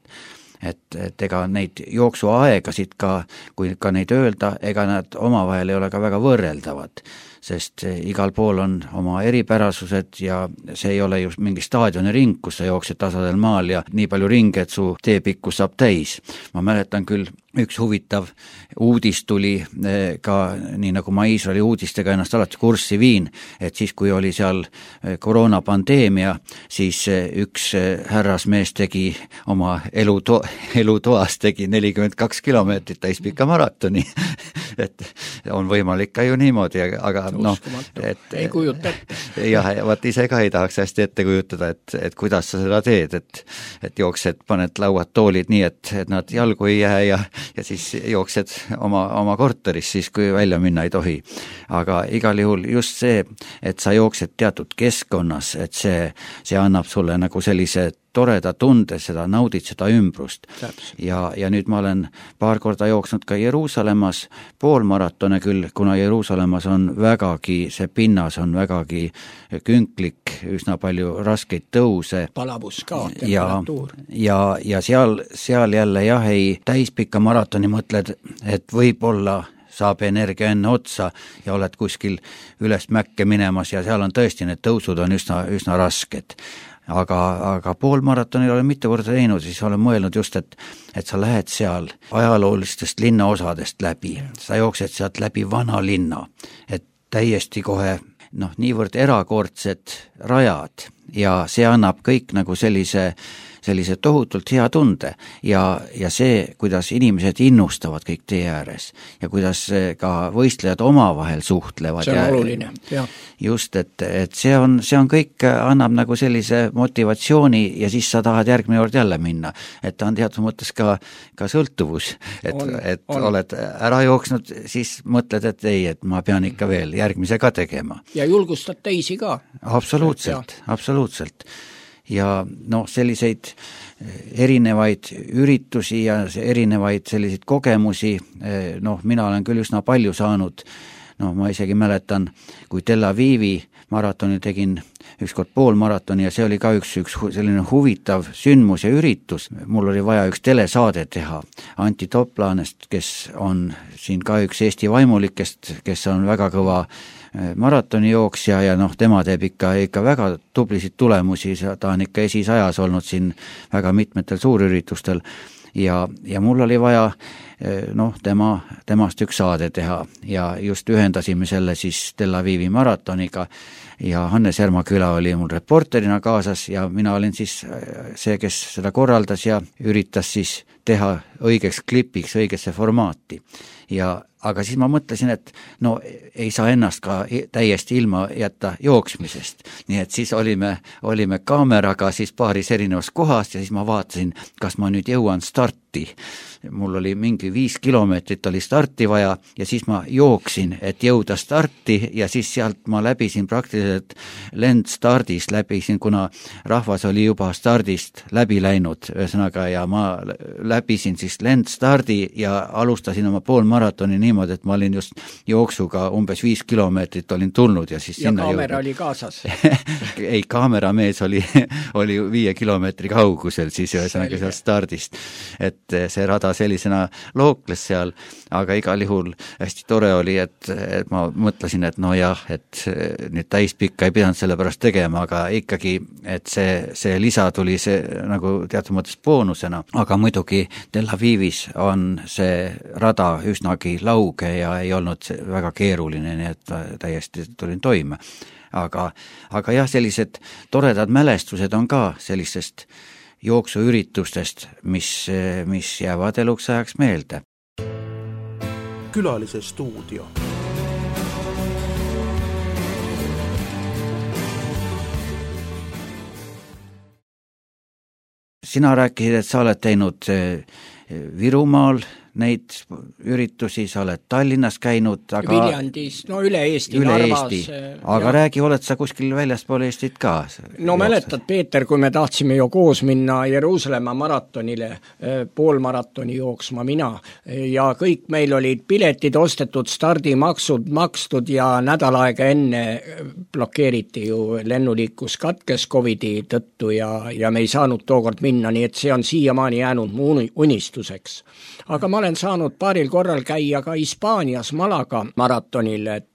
Et ega neid jooksuaegasid ka, kui ka neid öelda, ega nad omavahel ei ole ka väga võrreldavad, sest igal pool on oma eripärasused ja see ei ole just mingi staadioniring, kus sa jooksed tasadel maal ja nii palju ringe, et su teepikkus saab täis. Ma mäletan küll, üks huvitav uudis tuli ka, nii nagu ma Iisraeli uudistega ennast alati kurssi viin, et siis kui oli seal koroonapandeemia, siis üks härrasmees tegi oma elutoas tegi 42 kilomeetrit täispika maratoni, et on võimalik ka ju niimoodi, aga ei kujuta ette. Jah, vaat ise ka ei tahaks hästi ette kujutada, et kuidas sa seda teed, et jooksed, paned lauad, toolid nii, et nad jalgu ei jää ja siis jooksed oma korteris siis, kui välja minna ei tohi. Aga igal juhul just see, et sa jooksed teatud keskkonnas, et see annab sulle nagu sellise toreda tunde, seda naudid seda ümbrust. Ja nüüd ma olen paar korda jooksnud ka Jeruusalemmas poolmaratone küll, kuna Jeruusalemmas on vägagi, see pinnas on vägagi künklik, üsna palju raskeid tõuse. Palavus ka, temperatuur. Ja seal jälle jah, ei täispikka maratoni mõtled, et võib-olla saab energia enne otsa ja oled kuskil üles mäkke minemas ja seal on tõesti, need tõusud on üsna rasked. Aga poolmaratonil olen mitu korda teinud, siis olen mõelnud just, et sa lähed seal ajaloolistest linnaosadest läbi, sa jooksed sealt läbi vana linna, et täiesti kohe niivõrd erakordsed rajad ja see annab kõik nagu sellise tohutult hea tunde ja see, kuidas inimesed innustavad kõik tee ääres ja kuidas ka võistlejad omavahel suhtlevad. See on oluline, jah. Just, et see on kõik, annab nagu sellise motivatsiooni ja siis sa tahad järgmine kord jälle minna. Et ta on teatud mõttes ka sõltuvus, et oled ära jooksnud, siis mõtled, et ei, et ma pean ikka veel järgmise ka tegema. Ja julgustad teisi ka. Absoluutselt. Ja selliseid erinevaid üritusi ja erinevaid selliseid kogemusi, mina olen küll üsna palju saanud, ma isegi mäletan, kui Tel Avivi maratonil tegin ükskord poolmaratoni ja see oli ka üks selline huvitav sündmus ja üritus. Mul oli vaja üks telesaade teha Anti Toplanest, kes on siin ka üks Eesti vaimulikest, kes on väga kõva maratoni jooksja ja tema teeb ikka väga tublisid tulemusi, ta on ikka esisajas olnud siin väga mitmetel suurüritustel ja mul oli vaja temast üks saade teha ja just ühendasime selle siis Tel Avivi maratoniga ja Hannes Järmaküla oli mul reporterina kaasas ja mina olin siis see, kes seda korraldas ja üritas siis teha õigeks klipiks õigesse formaati. Aga siis ma mõtlesin, et ei saa ennast ka täiesti ilma jätta jooksmisest. Nii et siis olime kaameraga siis paaris erinevas kohast ja siis ma vaatasin, kas ma nüüd jõuan starti. Mul oli mingi 5 kilomeetrit oli starti vaja ja siis ma jooksin, et jõuda starti ja siis sealt ma läbisin praktiliselt lendstardist läbisin, kuna rahvas oli juba stardist läbi läinud ühesõnaga ja ma läbisin siis lendstardi ja alustasin oma poolmaratoni niimoodi, et ma olin just jooksuga umbes 5 kilomeetrit olin tulnud ja siis sinna kaamera oli kaasas? Ei, kaameramees oli 5 kilomeetri kaugusel siis ühesõnaga seal stardist, et see rada sellisena lookles seal, aga igal juhul hästi tore oli, et ma mõtlesin, et et nüüd täispikka ei pidanud selle pärast tegema, aga ikkagi, et see lisa tuli see nagu teatud mõttes boonusena, aga muidugi Tel Avivis on see rada üsnagi lauge ja ei olnud väga keeruline, nii et täiesti tulin toime. Aga jah, sellised toredad mälestused on ka sellistest jooksuüritustest, mis jäävad eluks ajaks meelde. Külalise stuudio. Sina rääkisid, et sa oled teinud Virumaal neid üritusi, sa oled Tallinnas käinud, aga Viljandis, üle Eesti, Narvas. Aga räägi, oled sa kuskil väljaspool Eestit ka? Mäletad, Peeter, kui me tahtsime ju koos minna Jeruusalemma maratonile, poolmaratoni jooksma mina ja kõik meil olid piletid ostetud, stardimaksud makstud ja nädal aega enne blokeeriti ju lennuliiklus katkes COVID-i tõttu ja me ei saanud tookord minna, nii et see on siiamaani jäänud mu unistuseks. Aga ma olen saanud paaril korral käia ka Hispaanias Malaga maratonil, et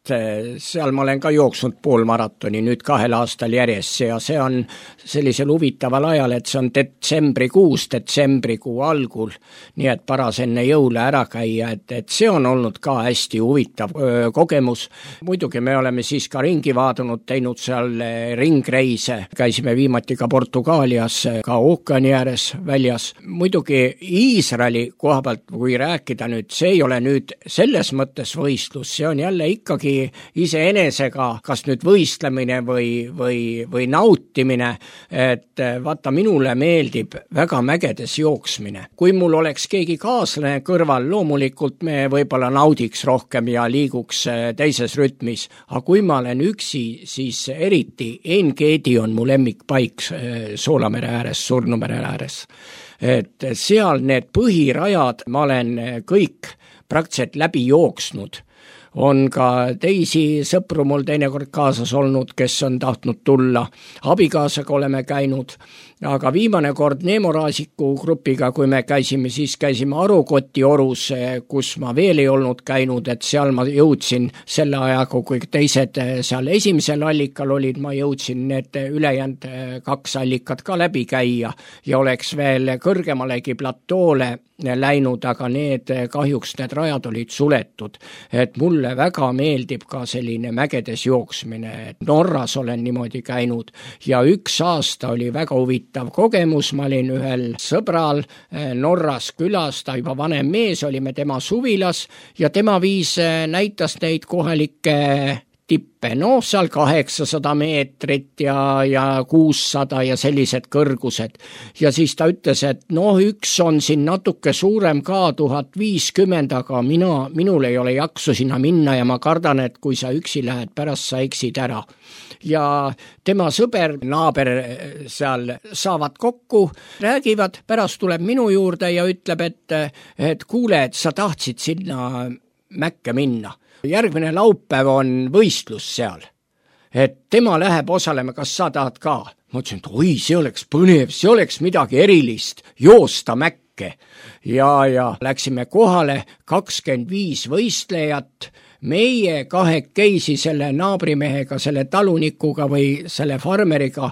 seal ma olen ka jooksnud poolmaratoni nüüd 2 aastal järjest ja see on sellisel huvitaval ajal, et see on detsembrikuu algul, nii et paras enne jõule ära käia, et see on olnud ka hästi huvitav kogemus. Muidugi me oleme siis ka ringi vaadunud, teinud seal ringreise, käisime viimati ka Portugaalias, ka ookeani ääres väljas. Muidugi Iisraeli koha pealt, kui rääkida nüüd, see ei ole nüüd selles mõttes võistlus, see on jälle ikkagi oli iseenesega kas nüüd võistlemine või nautimine, et vaata, minule meeldib väga mägedes jooksmine. Kui mul oleks keegi kaaslane kõrval, loomulikult me võib-olla naudiks rohkem ja liiguks teises rütmis, aga kui ma olen üksi, siis eriti Engeedi on mu lemmikpaik Soolamere ääres, Surnumere ääres. Et seal need põhirajad ma olen kõik praktiliselt läbi jooksnud. On ka teisi sõpru mul teinekord kaasas olnud, kes on tahtnud tulla. Abikaasaga oleme käinud, aga viimane kord Neemoraasiku grupiga, kui me käisime, siis käisime Arukoti orus, kus ma veel ei olnud käinud, et seal ma jõudsin selle ajaga, kui teised seal esimesel allikal olid, ma jõudsin need ülejäänud 2 allikat ka läbi käia ja oleks veel kõrgemalegi platoole läinud, aga kahjuks need rajad olid suletud. Et mulle väga meeldib ka selline mägedes jooksmine, et Norras olen niimoodi käinud ja 1 aasta oli väga huvitav kogemus, ma olin ühel sõbral Norras külas, ta juba vanem mees, olime tema suvilas ja tema näitas neid kohalikke tippe, seal 800 meetrit ja 600 ja sellised kõrgused. Ja siis ta ütles, et üks on siin natuke suurem ka, 1050, aga minul ei ole jaksu sinna minna ja ma kardan, et kui sa üksi lähed, pärast sa eksid ära. Ja tema sõber, naaber seal saavad kokku, räägivad, pärast tuleb minu juurde ja ütleb, et kuule, et sa tahtsid sinna mäkke minna. Järgmine laupäev on võistlus seal, et tema läheb osalema, kas sa tahad ka? Ma ütlesin, et oi, see oleks põnev, see oleks midagi erilist, joosta mäkke. Ja läksime kohale 25 võistlejat, meie kahekesi selle naabrimehega, selle talunikuga või selle farmeriga,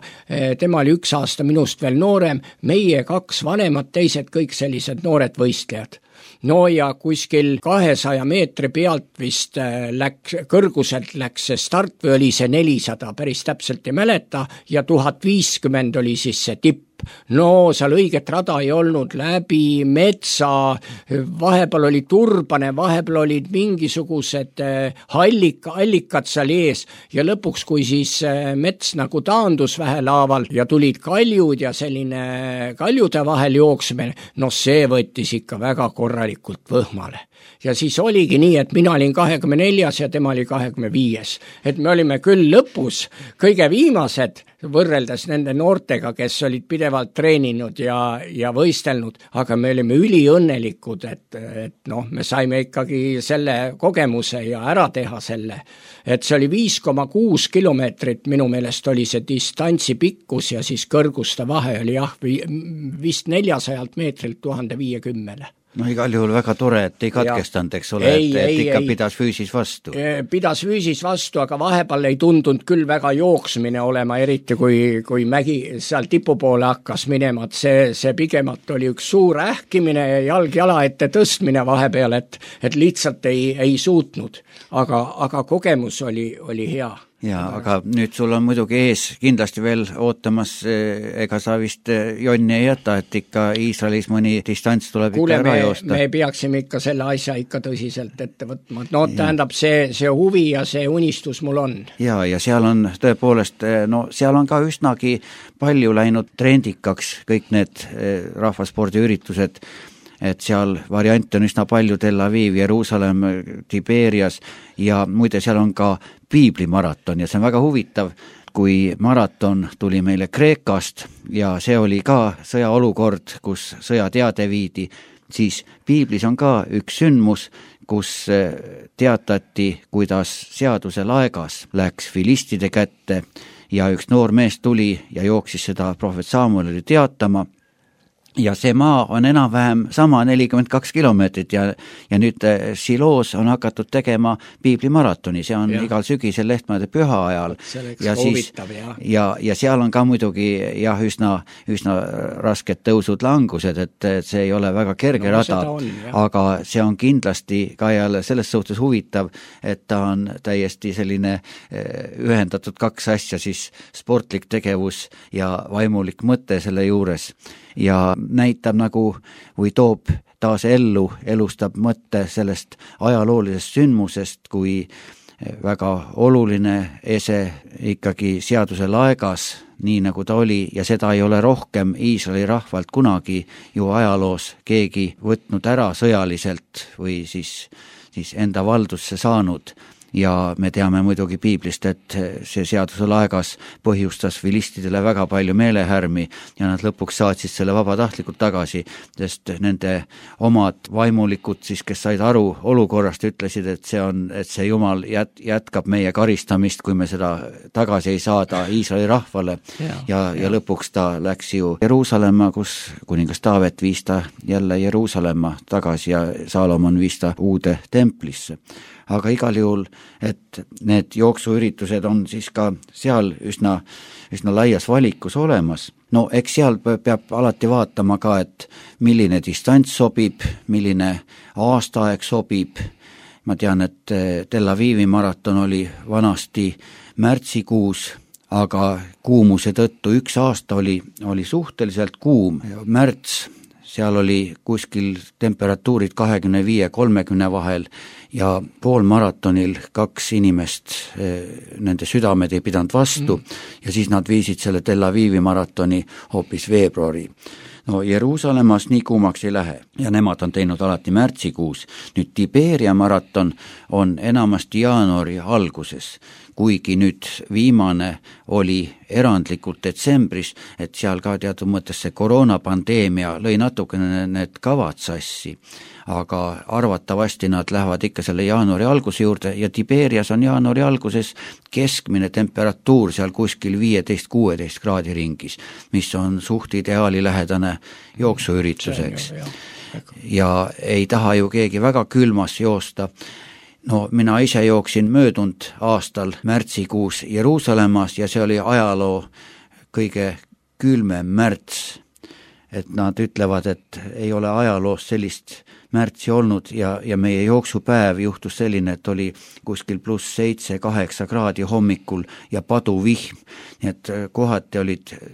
tema oli 1 aasta minust veel noorem, meie 2 vanemad, teised kõik sellised noored võistlejad. Ja kuskil 200 meetri pealt vist kõrguselt läks see start või oli see 400, päris täpselt ei mäleta, ja 1050 oli siis see tipp. Seal õiget rada ei olnud, läbi metsa, vahepeal oli turbane, vahepeal olid mingisugused allikad seal ees ja lõpuks, kui siis mets nagu taandus vähelaaval ja tulid kaljud ja selline kaljude vahel jooksmine, see võttis ikka väga korralikult võhmale. Ja siis oligi nii, et mina olin 24 ja tema oli 25. Et me olime küll lõpus kõige viimased, võrreldes nende noortega, kes olid pidevalt treeninud ja võistelnud, aga me olime üliõnnelikud, et me saime ikkagi selle kogemuse ja ära teha selle. Et see oli 5,6 kilomeetrit, minu meelest oli see distantsi pikkus ja siis kõrguste vahe oli vist 400 meetrilt 1050. Igal juhul väga tore, et ei katkestanud, eks ole, et ikka pidas füüsis vastu. Pidas füüsis vastu, aga vahepeal ei tundunud küll väga jooksmine olema, eriti kui mägi seal tipu poole hakkas minema, et see pigemalt oli üks suur ähkimine ja jalg jala ette tõstmine vahepeal, et lihtsalt ei suutnud, aga kogemus oli hea. Aga nüüd sul on muidugi ees kindlasti veel ootamas, ega sa vist jonni ei jäta, et ikka Iisraelis mõni distants tuleb ikka ära joosta. Me peaksime ikka selle asja ikka tõsiselt ette võtma. Tähendab, see huvi ja see unistus mul on. Ja seal on tõepoolest, seal on ka üsnagi palju läinud trendikaks kõik need rahvaspordiüritused, et seal variante on üsna palju, Tel Aviv, Jeruusalemm, Tiberias ja muide seal on ka piiblimaraton ja see on väga huvitav, kui maraton tuli meile Kreekast ja see oli ka sõjaolukord, kus sõjateade viidi, siis piiblis on ka üks sündmus, kus teatati, kuidas seaduse laegas läks filistide kätte ja üks noor mees tuli ja jooksis seda prohvet Samuelile teatama. Ja see maa on enam-vähem sama 42 kilomeetrit ja nüüd Siloos on hakatud tegema piiblimaratoni, see on igal sügisel Lehtmade püha ajal. Ja seal on ka muidugi üsna rasked tõusud langused, et see ei ole väga kerge rada, aga see on kindlasti ka jälle selles suhtes huvitav, et ta on täiesti selline ühendatud 2 asja, siis sportlik tegevus ja vaimulik mõte selle juures. Ja näitab nagu või toob taas elustab mõtte sellest ajaloolisest sündmusest, kui väga oluline ese ikkagi seaduse laegas, nii nagu ta oli, ja seda ei ole rohkem Iisraeli rahvalt kunagi ju ajaloos keegi võtnud ära sõjaliselt või siis enda valdusse saanud. Ja me teame muidugi piiblist, et see seaduse laegas põhjustas filistidele väga palju meelehärmi ja nad lõpuks saatsid selle vabatahtlikult tagasi, sest nende omad vaimulikud siis, kes said aru olukorrast, ütlesid, et see Jumal jätkab meie karistamist, kui me seda tagasi ei saada Iisraeli rahvale. Ja lõpuks ta läks ju Jeruusalemma, kus kuningas Taavet viis ta jälle Jeruusalemma tagasi ja Saalomon viis ta uude templisse. Aga igal juhul, et need jooksuüritused on siis ka seal üsna laias valikus olemas. No eks seal peab alati vaatama ka, et milline distants sobib, milline aastaaeg sobib. Ma tean, et Tel Avivi maraton oli vanasti märtsikuus, aga kuumuse tõttu üks aasta oli suhteliselt kuum. Märts, seal oli kuskil temperatuurid 25-30 vahel ja poolmaratonil 2 inimest, nende südamed ei pidanud vastu ja siis nad viisid selle Tel Avivi maratoni hoopis veebruari. No Jeruusalemmas nii kuumaks ei lähe ja nemad on teinud alati märtsikuus. Nüüd Tiberia maraton on enamasti jaanuari alguses, kuigi nüüd viimane oli erandlikult detsembris, et seal ka teatud mõttes see koroonapandeemia lõi natukene need kavad sassi, aga arvatavasti nad lähevad ikka selle jaanuari alguse juurde ja Tiberias on jaanuari alguses keskmine temperatuur seal kuskil 15-16 kraadi ringis, mis on suht ideaali lähedane jooksuürituseks. Ja ei taha ju keegi väga külmas joosta. No mina ise jooksin möödunud aastal märtsikuus Jeruusalemmas ja see oli ajaloo kõige külmem märts. Et nad ütlevad, et ei ole ajaloos sellist märtsi olnud ja meie jooksupäev juhtus selline, et oli kuskil +7-8 kraadi hommikul ja paduvihm. Nii et kohati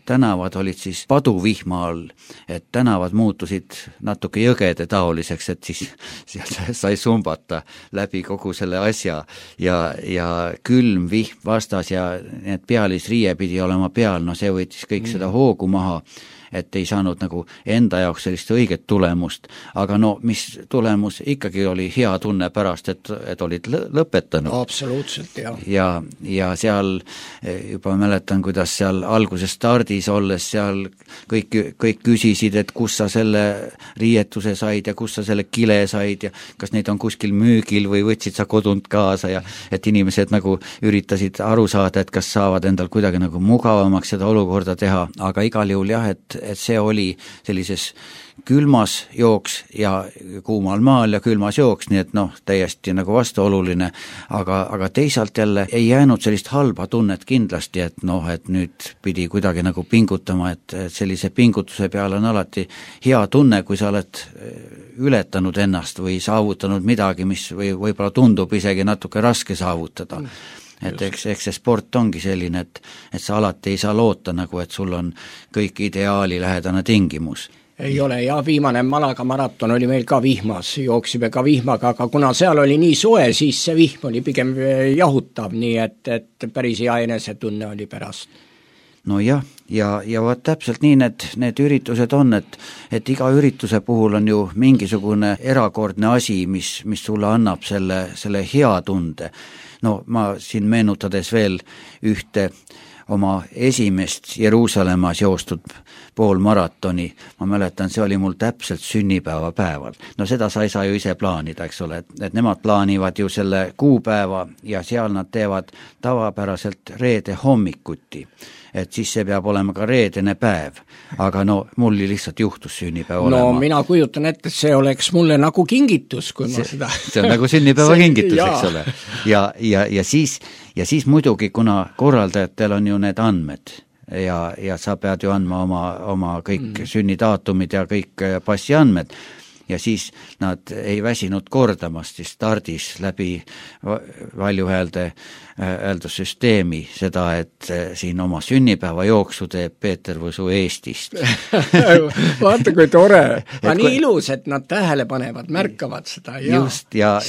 tänavad olid siis paduvihma all, et tänavad muutusid natuke jõgede taoliseks, et siis seal sai sumbata läbi kogu selle asja ja külm vihm vastas ja need pealisriie pidi olema peal, no see võttis kõik seda hoogu maha, et ei saanud nagu enda jaoks sellist õiget tulemust, aga no mis tulemus ikkagi oli hea tunne pärast, et olid lõpetanud. Absoluutselt, jah. Ja seal juba mäletan, kuidas seal alguses stardis olles seal kõik küsisid, et kus sa selle riietuse said ja kus sa selle kile said ja kas neid on kuskil müügil või võtsid sa kodunt kaasa ja et inimesed nagu üritasid aru saada, et kas saavad endal kuidagi nagu mugavamaks seda olukorda teha, aga igal juhul jah, et see oli sellises külmas jooks ja kuumal maal ja külmas jooks, nii et täiesti nagu vastuoluline, aga teisalt jälle ei jäänud sellist halba tunnet kindlasti, et et nüüd pidi kuidagi nagu pingutama, et sellise pingutuse peale on alati hea tunne, kui sa oled ületanud ennast või saavutanud midagi, mis võib-olla tundub isegi natuke raske saavutada. Et eks see sport ongi selline, et sa alati ei saa loota nagu, et sul on kõik ideaali lähedane tingimus. Ei ole, ja viimane Malaga maraton oli meil ka vihmas, jooksime ka vihmaga, aga kuna seal oli nii soe, siis see vihm oli pigem jahutav, nii et päris hea enesetunne oli pärast. No jah, ja vaat täpselt nii need üritused on, et iga ürituse puhul on ju mingisugune erakordne asi, mis sulle annab selle hea tunde. No ma siin meenutades veel ühte oma esimest Jeruusalemmas joostud poolmaratoni, ma mäletan, see oli mul täpselt sünnipäeva päeval. No seda sa ei saa ju ise plaanida, eks ole, et nemad plaanivad ju selle kuupäeva ja seal nad teevad tavapäraselt reede hommikuti, et siis see peab olema ka reedene päev, aga mul lihtsalt juhtus sünnipäev olema. No mina kujutan ette, see oleks mulle nagu kingitus, kui ma seda... See on nagu sünnipäeva kingitus, eks ole. Ja siis muidugi, kuna korraldajatel on ju need andmed ja sa pead ju andma oma kõik sünnidaatumid ja kõik passiandmed ja siis nad ei väsinud kordamast siis stardis läbi valjuhääldussüsteemi seda, et siin oma sünnipäeva jooksu teeb Peeter Võsu Eestist. Vaata, kui tore. Nii ilus, et nad tähele panevad, märkavad seda. Just, ja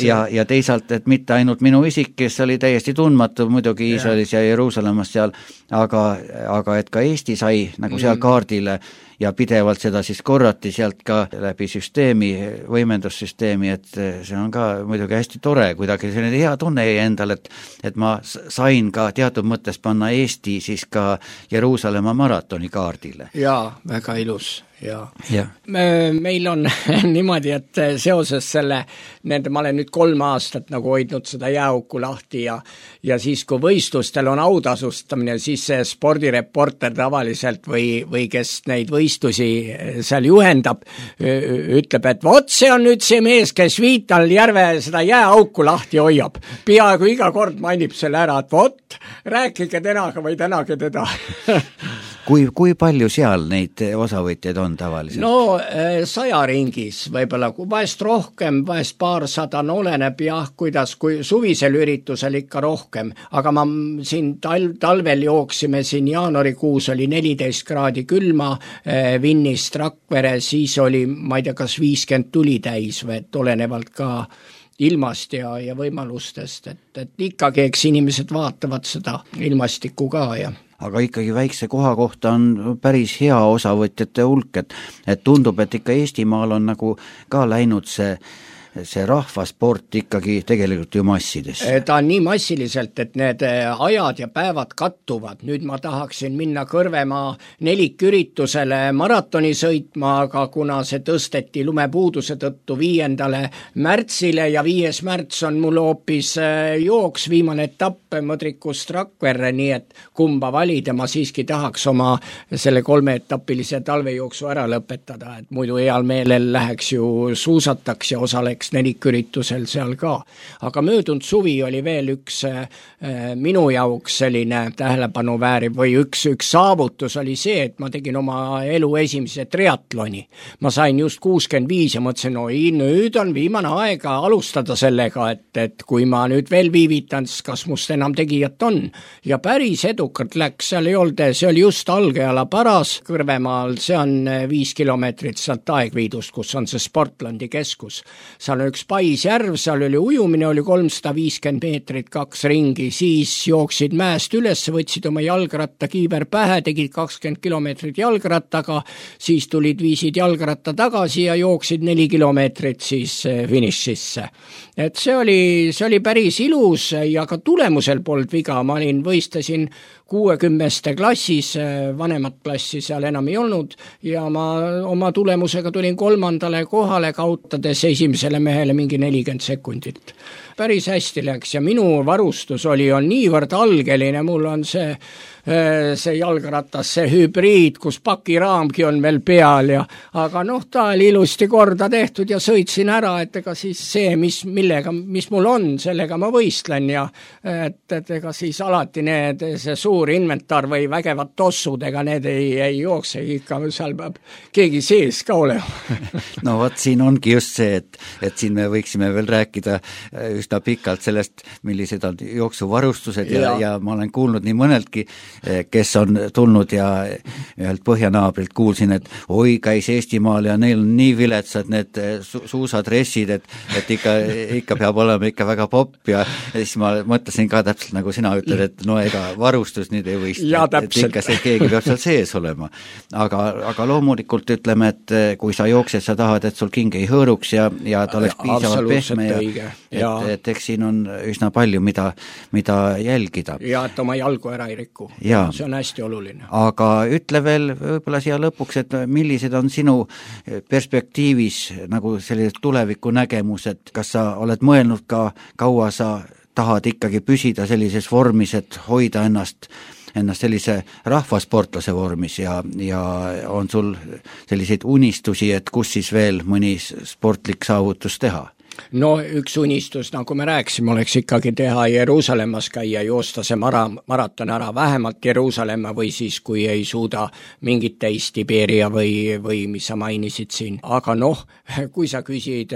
teisalt, et mitte ainult minu isik, kes oli täiesti tundmatu muidugi Iisraelis ja Jeruusalemmas seal, aga et ka Eesti sai nagu seal kaardile ja pidevalt seda siis korrati sealt ka läbi süsteemi, võimendussüsteemi, et see on ka muidugi hästi tore, kuidagi selline hea tunne jäi endal, et ma sain ka teatud mõttes panna Eesti siis ka Jeruusalemma maratoni kaardile. Jaa, väga ilus. Ja. Meil on niimoodi, et seoses ma olen nüüd 3 aastat nagu hoidnud seda jääauku lahti ja siis, kui võistlustel on autasustamine, siis see spordireporter tavaliselt või kes neid võistlusi seal juhendab, ütleb, et vot see on nüüd see mees, kes Viital järve seda jääauku lahti hoiab. Peaaegu iga kord mainib selle ära, et vot, rääkige tänaga või tänage teda. Kui palju seal neid osavõtjaid on tavaliselt? No 100 ringis võib-olla, vahest rohkem, vahest paarsada, oleneb kuidas, kui suvisel üritusel ikka rohkem, aga ma siin talvel jooksime siin jaanuarikuus oli 14 kraadi külma Vinnist Rakvere, siis oli, ma ei tea, kas 50 tuli täis või et olenevalt ka ilmast ja võimalustest, et ikkagi eks inimesed vaatavad seda ilmastikku ka ja aga ikkagi väikse koha kohta on päris hea osavõtjate hulk, et tundub, et ikka Eestimaal on nagu ka läinud see rahvasport ikkagi tegelikult ju massidesse. Ta on nii massiliselt, et need ajad ja päevad kattuvad. Nüüd ma tahaksin minna Kõrvemaa neliküritusele maratoni sõitma, aga kuna see tõsteti lumepuuduse tõttu 5. märtsile ja 5. märts on mul hoopis jooks, viimane etapp Mõdrikust Rakverre, nii et kumba valida, ma siiski tahaks oma selle 3-etapilise talvejooksu ära lõpetada, et muidu heal meelel läheks ju suusataks ja osaleks neliküritusel seal ka. Aga möödunud suvi oli veel üks minu jaoks selline tähelepanu väärib või üks saavutus oli see, et ma tegin oma elu esimese triatloni. Ma sain just 65 ja mõtlesin, nüüd on viimane aega alustada sellega, et kui ma nüüd veel viivitan, siis kas must enam tegijat on. Ja päris edukalt läks, seal ei olnud, see oli just Algeala paras Kõrvemaal, see on 5 kilomeetrit sealt Aegviidust, kus on see Sportlandi keskus. Seal on üks Paisjärv, seal oli ujumine, oli 350 meetrit, 2 ringi, siis jooksid mäest üles, võtsid oma jalgratta kiiver pähe, tegid 20 kilomeetrit jalgrattaga, siis viisid jalgratta tagasi ja jooksid 4 kilomeetrit siis finišisse. Et see oli päris ilus ja ka tulemusel polnud viga, ma võistlesin 60 klassis, vanemat klassi seal enam ei olnud ja ma oma tulemusega tulin 3. kohale, kaotades esimesele mehele mingi 40 sekundit. Päris hästi läks ja minu varustus on niivõrd algeline, mul on see jalgratas, see hübriid, kus pakiraamgi on veel peal aga ta oli ilusti korda tehtud ja sõitsin ära, et ega siis see, mis mul on, sellega ma võistlen ja et ega siis alati see suur inventar või vägevad tossud, ega need ei jookse ikka, seal peab keegi sees ka olema. No vot, siin ongi just see, et siin me võiksime veel rääkida üsna pikalt sellest, millised on jooksuvarustused ja ma olen kuulnud nii mõneltki, kes on tulnud ja ühelt põhjanaabrilt kuulsin, et käis Eestimaal ja neil on nii viletsad need suusadressid, et ikka peab olema ikka väga popp ja siis ma mõtlesin ka täpselt nagu sina ütled, et no ega varustus nüüd ei võista, et ikka see keegi peab seal sees olema. Aga loomulikult ütleme, et kui sa jooksed, sa tahad, et sul king ei hõõruks ja ta oleks piisavalt pehme ja et eks siin on üsna palju, mida jälgida. Ja et oma jalgu ära ei riku. See on hästi oluline. Aga ütle veel võib-olla siia lõpuks, et millised on sinu perspektiivis nagu sellised tuleviku nägemused, kas sa oled mõelnud ka, kaua sa tahad ikkagi püsida sellises vormis, et hoida ennast sellise rahvasportlase vormis ja on sul selliseid unistusi, et kus siis veel mõni sportlik saavutus teha? no üks unistus, nagu me rääkisime, oleks ikkagi teha Jeruusalemmas käia, joosta see maraton ära, vähemalt Jeruusalemma või siis, kui ei suuda mingit teist Tiberia või mis sa mainisid siin. Aga kui sa küsid,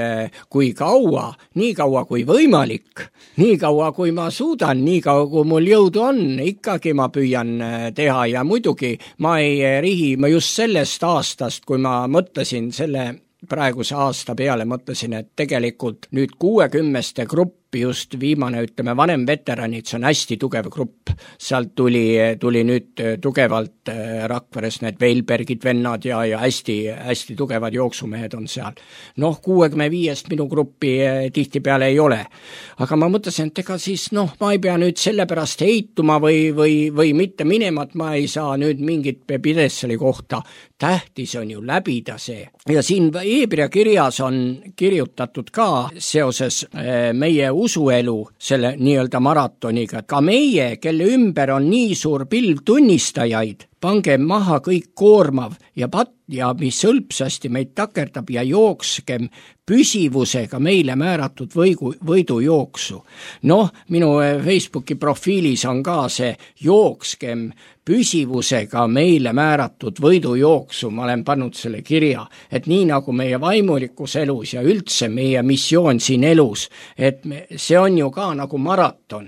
kui kaua, nii kaua kui võimalik, nii kaua kui ma suudan, nii kaua kui mul jõudu on, ikkagi ma püüan teha ja muidugi ma ei rihi, ma just sellest aastast, kui ma mõtlesin selle praeguse aasta peale, mõtlesin, et tegelikult nüüd 60 gruppi, just viimane, ütleme, vanem veteranid, see on hästi tugev grupp. Sealt tuli nüüd tugevalt Rakveres need Veilbergid vennad ja hästi tugevad jooksumehed on seal. 65 minu gruppi tihti peale ei ole. Aga ma mõtlesin, et ega siis, ma ei pea nüüd selle pärast heituma või mitte minema, et ma ei saa nüüd mingit pidesseli kohta. Tähtis on ju läbida see. Ja siin Hebra kirjas on kirjutatud ka seoses meie usuelu selle nii-öelda maratoniga. Ka meie, kelle ümber on nii suur pilv tunnistajaid, pange maha kõik koormav ja mis hõlpsasti meid takerdab ja jookskem püsivusega meile määratud võidujooksu. Minu Facebooki profiilis on ka see jookskem püsivusega meile määratud võidujooksu, ma olen pannud selle kirja, et nii nagu meie vaimulikus elus ja üldse meie missioon siin elus, et see on ju ka nagu maraton,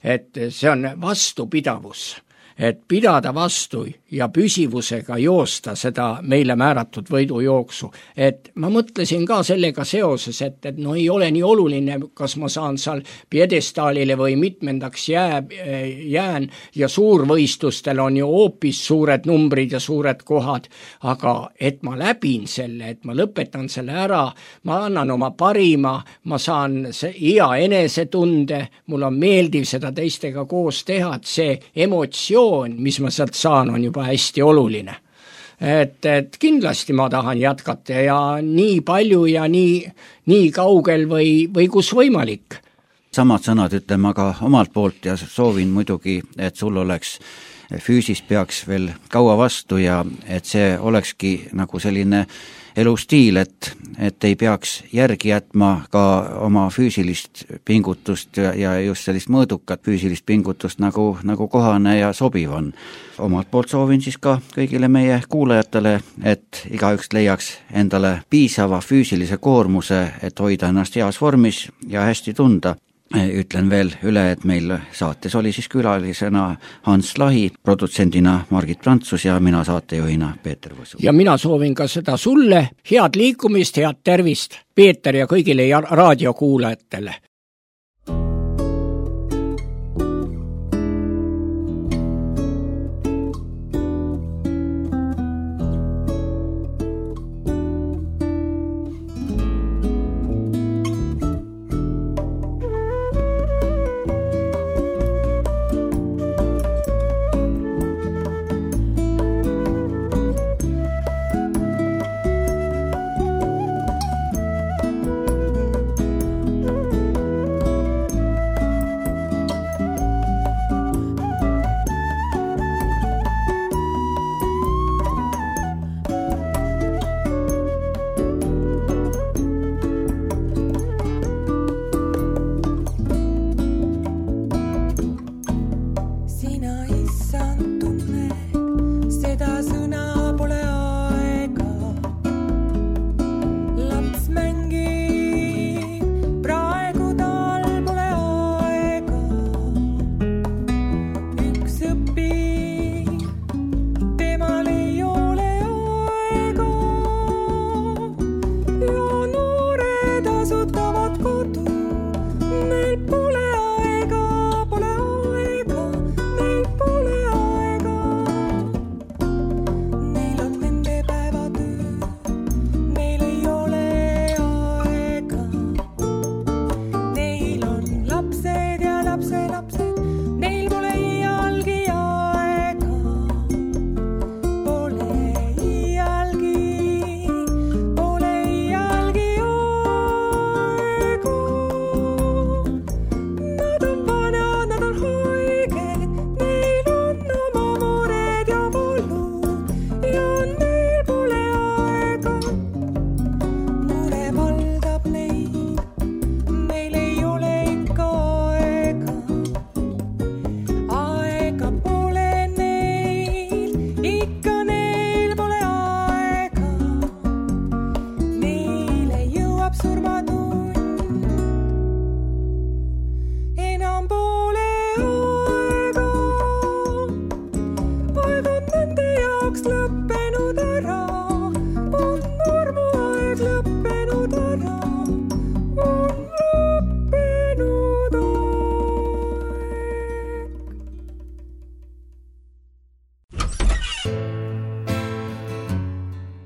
et see on vastupidavus. Et pidada vastu ja püsivusega joosta seda meile määratud võidujooksu. Et ma mõtlesin ka sellega seoses, et ei ole nii oluline, kas ma saan seal piedestaalile või mitmendaks jään ja suurvõistlustel on ju hoopis suured numbrid ja suured kohad, aga et ma läbin selle, et ma lõpetan selle ära, ma annan oma parima, ma saan hea enesetunde, mul on meeldiv seda teistega koos teha, et see emotsioon, mis ma sealt saan, on juba hästi oluline. Et kindlasti ma tahan jätkata ja nii palju ja nii kaugel või kus võimalik. Samad sõnad ütleme aga omalt poolt ja soovin muidugi, et sul oleks füüsis peaks veel kaua vastu ja et see olekski nagu selline elustiil, et ei peaks järgi jätma ka oma füüsilist pingutust ja just sellist mõõdukat füüsilist pingutust nagu kohane ja sobiv on. Omalt poolt soovin siis ka kõigile meie kuulajatele, et igaüks leiaks endale piisava füüsilise koormuse, et hoida ennast heas vormis ja hästi tunda. Ütlen veel üle, et meil saates oli siis külalisena Hans Lahi, produtsendina Margit Prantsus ja mina saatejuhina Peeter Võsu. Ja mina soovin ka seda sulle, head liikumist, head tervist, Peeter ja kõigile raadiokuulajatele.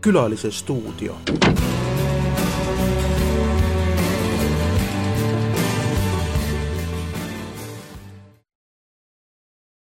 Külalise stuudio.